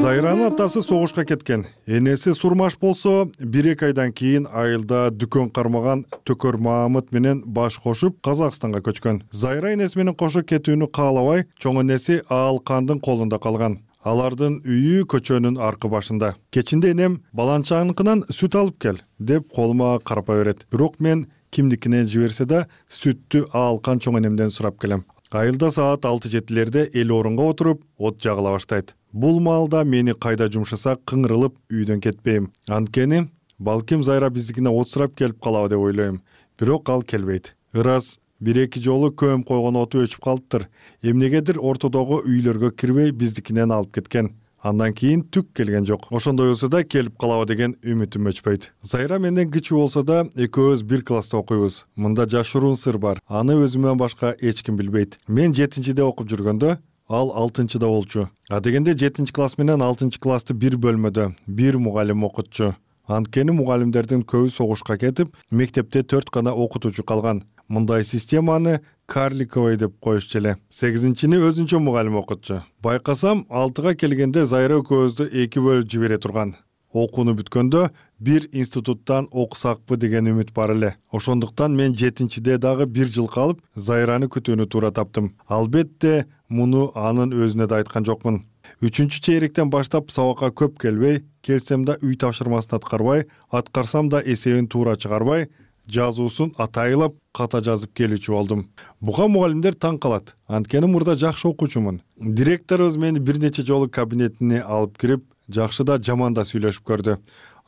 S16: Зайранын атасы согушка кеткен. Энеси Сурмаш болсо 1-2 айдан кийин айылда дүкөн кармаган Төкөр Маамыт менен баш кошуп Казакстанга көчкөн. Зайра энеси менен кошо кетүүнү каалабай, чоң энеси Аалкандын колунда калган. Алардын үйү көчөнүн аркы башында. Кечинде энем баланчаныкынан сүт алып кел деп колума карпа берет. Бирок мен кимдикине жиберсе да сүттү Аалкан чоң энемден сурап келем. Айылда саат 6-7лерде эл орунга отуруп, от жагыла баштайт. Бул маалда мени кайда жумшаса кыңырылып үйдөн кетпейм. Анткени балким Зайра биздикине от сурап келип калабы деп ойлойм. Бирок ал келбейт. Ырас 1-2 жолу көмүп койгон оту өчүп калыптыр. Эмнегедир ортодогу үйлөргө кирбей биздикинен алып кеткен. Андан кийин түк келген жок. Ошондой болсо да келип калабы деген үмүтүм өчпөйт. Зайра менден кичүү болсо да экөөбүз бир класста окуйбуз. Мында жашыруун сыр бар. Аны өзүмөн башка эч ким билбейт. Мен 7-де окуп жүргөндө ал 6-да болчу. А дегенде 7-класс менен 6-классты бир бөлмөдө бир мугалим окутчу. Анткени мугалимдердин көбү согушка кетип, мектепте 4 гана окутуучу калган. Мындай системаны карликовый деп коюшчу эле. 8-ни өзүнчө мугалим окутчу. Байкасам 6-га келгенде Зайра экөөбүздү 2 бөлүп жибере турган. Окууну бүткөндө бир институттан окусакпы деген үмүт бар эле. Ошондуктан мен 7-де дагы 1 жыл калып, Зайраны күтүүнү туура таптым. Албетте, муну анын өзүнө да айткан жокмун. 3-чейректен баштап сабакка көп келбей, келсем да үй тапшырмасын аткарбай, аткарсам да эсебин туура чыгарбай, жазуусун атайылап ката жазып келүүчү болдум. Буга мугалимдер таң калат. Анткени мурда жакшы окуучумун. Директорубуз мени бир нече жолу кабинетине алып кирип, жакшы да жаман да сүйлөшүп көрдү.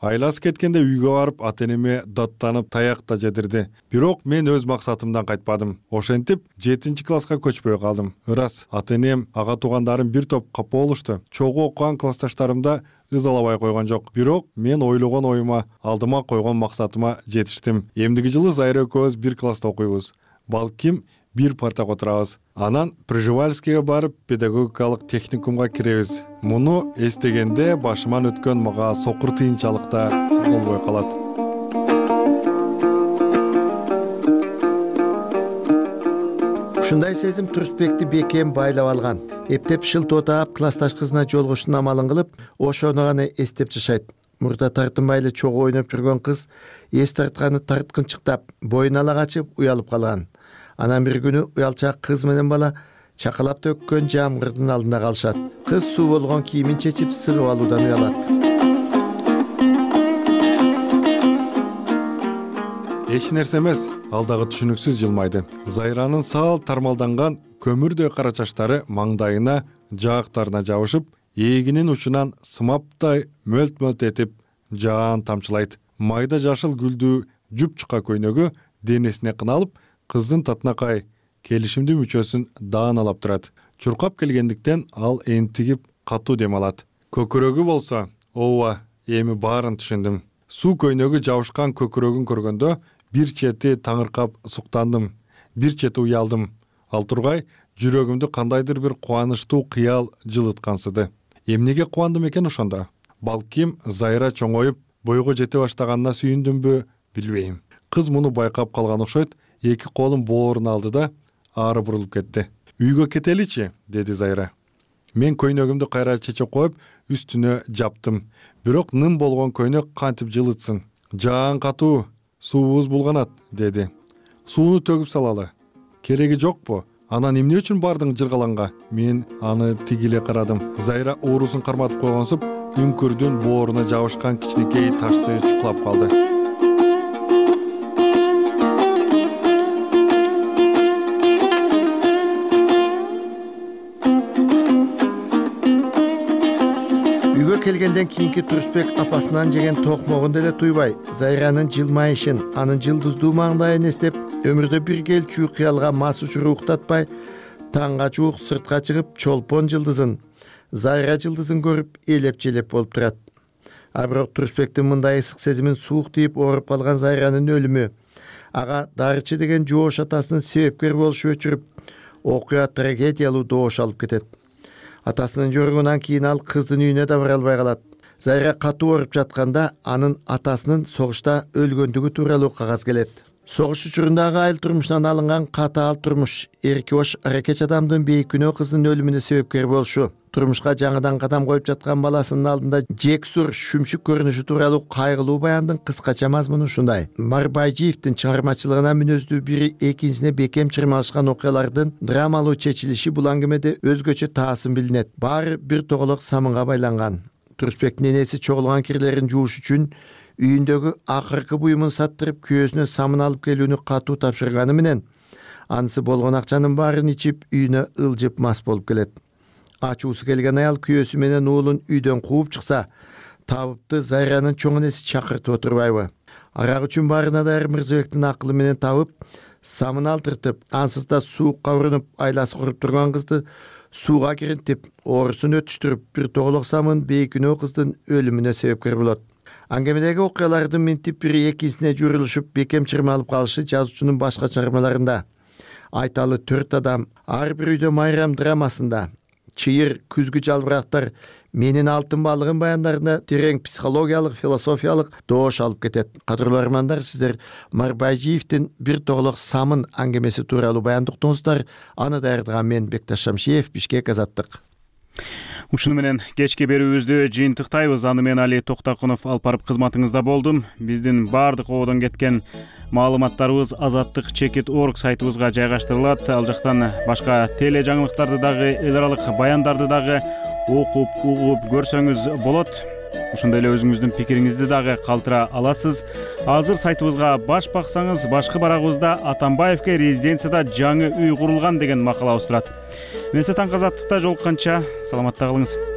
S16: Айласы кеткенде үйгө барып ата-энеме даттанып таяк да жедирди. Бирок мен өз максатымдан кайтпадым. Ошентип 7-класска көчпөй калдым. Ырас, ата-энем, ага туугандарым бир топ капа болушту. Чогуу окуган классташтарымда ызалабай койгон жок. Бирок мен ойлогон оюма, алдыма койгон максатыма жетиштим. Эмдиги жылы Зайра экөөбүз бир класста окуйбуз. Балким бир партага отурабыз. Анан Пржевальскийге барып педагогикалык техникумга киребиз. Муну эстегенде башыман өткөн мага сокур тыйынчалык да болбой калат.
S14: Ушундай сезим Турсбекти бекем байлап алган. Эптеп шылтоо таап классташ кызына жолугуштун амалын кылып, ошону гана эстеп жашайт. Мурда тартынбай эле чогуу ойноп жүргөн кыз эс тартканы тарткынчыктап, боюн ала качып уялып калган. Анан бир күнү уялчаак кыз менен бала чакалап төккөн жамгырдын алдында калышат. Кыз суу болгон кийимин чечип сыгып алуудан уялат.
S16: Эч нерсе эмес, ал дагы түшүнүксүз жылмайды. Зайранын сал тармалданган көмүрдөй кара чачтары маңдайына, жаактарына жабышып, эгинин учунан сымаптай мөлт-мөлт этип жаан тамчылайт. Майда жашыл гүлдүү жупчука көйнөгү денесине кыналып, кыздын татынакай келишимдүү мүчөсүн дааналап турат. Чуркап келгендиктен ал энтигип катуу дем алат. Көкүрөгү болсо, ооба, эми баарын түшүндүм. Суу көйнөгү жабышкан көкүрөгүн көргөндө бир чети таңыркап суктандым, бир чети уялдым. Ал тургай жүрөгүмдү кандайдыр бир кубанычтуу кыял жылыткансыды. Эмнеге кубандым экен ошондо? Балким Зайра чоңоюп, бойго жете баштаганына сүйүндүмбү, билбейм. Кыз муну байкап калган окшойт. 2 колун бооруна алды да ары бурулуп кетти. Үйгө кетеличи, деди Зайра. Мен көйнөгүмдү кайра чечип коюп, үстүнө жаптым. Бирок ным болгон көйнөк кантип жылытсын? Жаан катуу, суубуз булганат, деди. Сууну төгүп салалы. Кереги жокпу? Анан эмне үчүн бардың жыргаланга? Мен аны тигиле карадым. Зайра оорусун карматып койгонсуп, үңкүрдүн бооруна жабышкан кичинекей ташты чукулап калды.
S14: Келгенден кийинки Турсбек апасынан жеген токмогун деле туйбай, Зайранын жылмайышын, анын жылдыздуу маңдайын эстеп, өмүрдө бир келчү кыялга мас учур уктатпай, таңга чуук сыртка чыгып, чолпон жылдызын, Зайра жылдызын көрүп, элеп-желеп болуп турат. А бирок Турсбектин мындай ысык сезимин суук тийип ооруп калган Зайранын өлүмү, ага Дарчы деген жоош атасынын себепкер болушу өчүрүп, окуя трагедиялуу добош алып кетет. Атасынын жоругунан кийин ал кыздын үйүнө да бара албай калат. Зайра катуу ооруп жатканда анын атасынын согушта өлгөндүгү тууралуу кагаз келет. Согуш учурундагы айыл турмушунан алынган катаал турмуш эрки бош аракеч адамдын бейкүнөө кыздын өлүмүнө себепкер болушу, турмушка жаңыдан кадам коюп жаткан баласынын алдында жексур шүмшүк көрүнүшү тууралуу кайгылуу баяндын кыскача мазмуну ушундай. Марбайжиевдин чыгармачылыгына мүнөздүү бири экинчисине бекем чырмалышкан окуялардын драмалуу чечилиши бул аңгемеде өзгөчө таасым билинет. Баары бир тоголок самынга байланган. Турусбектин энеси чогулган кирлерин жууш үчүн үйүндөгү акыркы буюмун саттырып күйөөсүнө самын алып келүүнү катуу тапшырганы менен анысы болгон акчанын баарын ичип үйүнө ылжып мас болуп келет. Ачуусу келген аял күйөөсү менен уулун үйдөн кууп чыкса, табыпты Зайранын чоң энеси чакыртып отурбайбы? Арак үчүн баарына даяр Мырзабектин акылы менен табып, самын алдыртып, ансыз да суукка урунуп айласы куруп турган кызды сууга киринтип, оорусун өтүштүрүп, бир тоголок самын бейкүнөө кыздын өлүмүнө себепкер болот. Аңгемедеги окуялардын минтип бири экинчисине журулушуп бекем чырмалып калышы жазуучунун башка чыгармаларында, Айталы 4 адам, ар бир үйдө майрам драмасында, Чыйыр күзгү жалбырактар, Менин алтын балыгым баяндарында терең психологиялык, философиялык доош алып кетет. Кадырлуу армандар, сиздер Марбайжиевдин бир тоголок самын аңгемеси тууралуу баянды уктуңуздар. Аны даярдаган мен Бекташ Шамшиев, Бишкек, Азаттык.
S1: Ушуну менен кечки берүүбүздү жыйынтыктайбыз. Аны мен Али Токтакунов алып барып кызматыңызда болдум. Биздин баардык ободон кеткен маалыматтарыбыз azattik.org сайтыбызга жайгаштырылат. Ал жактан башка теле жаңылыктарды дагы, эл аралык баяндарды дагы окуп, угуп көрсөңүз болот. Ошондой эле өзүңүздүн пикириңизди дагы калтыра аласыз. Азыр сайтыбызга баш баксаңыз, башкы барагыбызда Атамбаевке резиденцияда жаңы үй курулган деген макалабыз турат. Мен Таңкы Азаттыкта жолукканча саламатта калыңыз.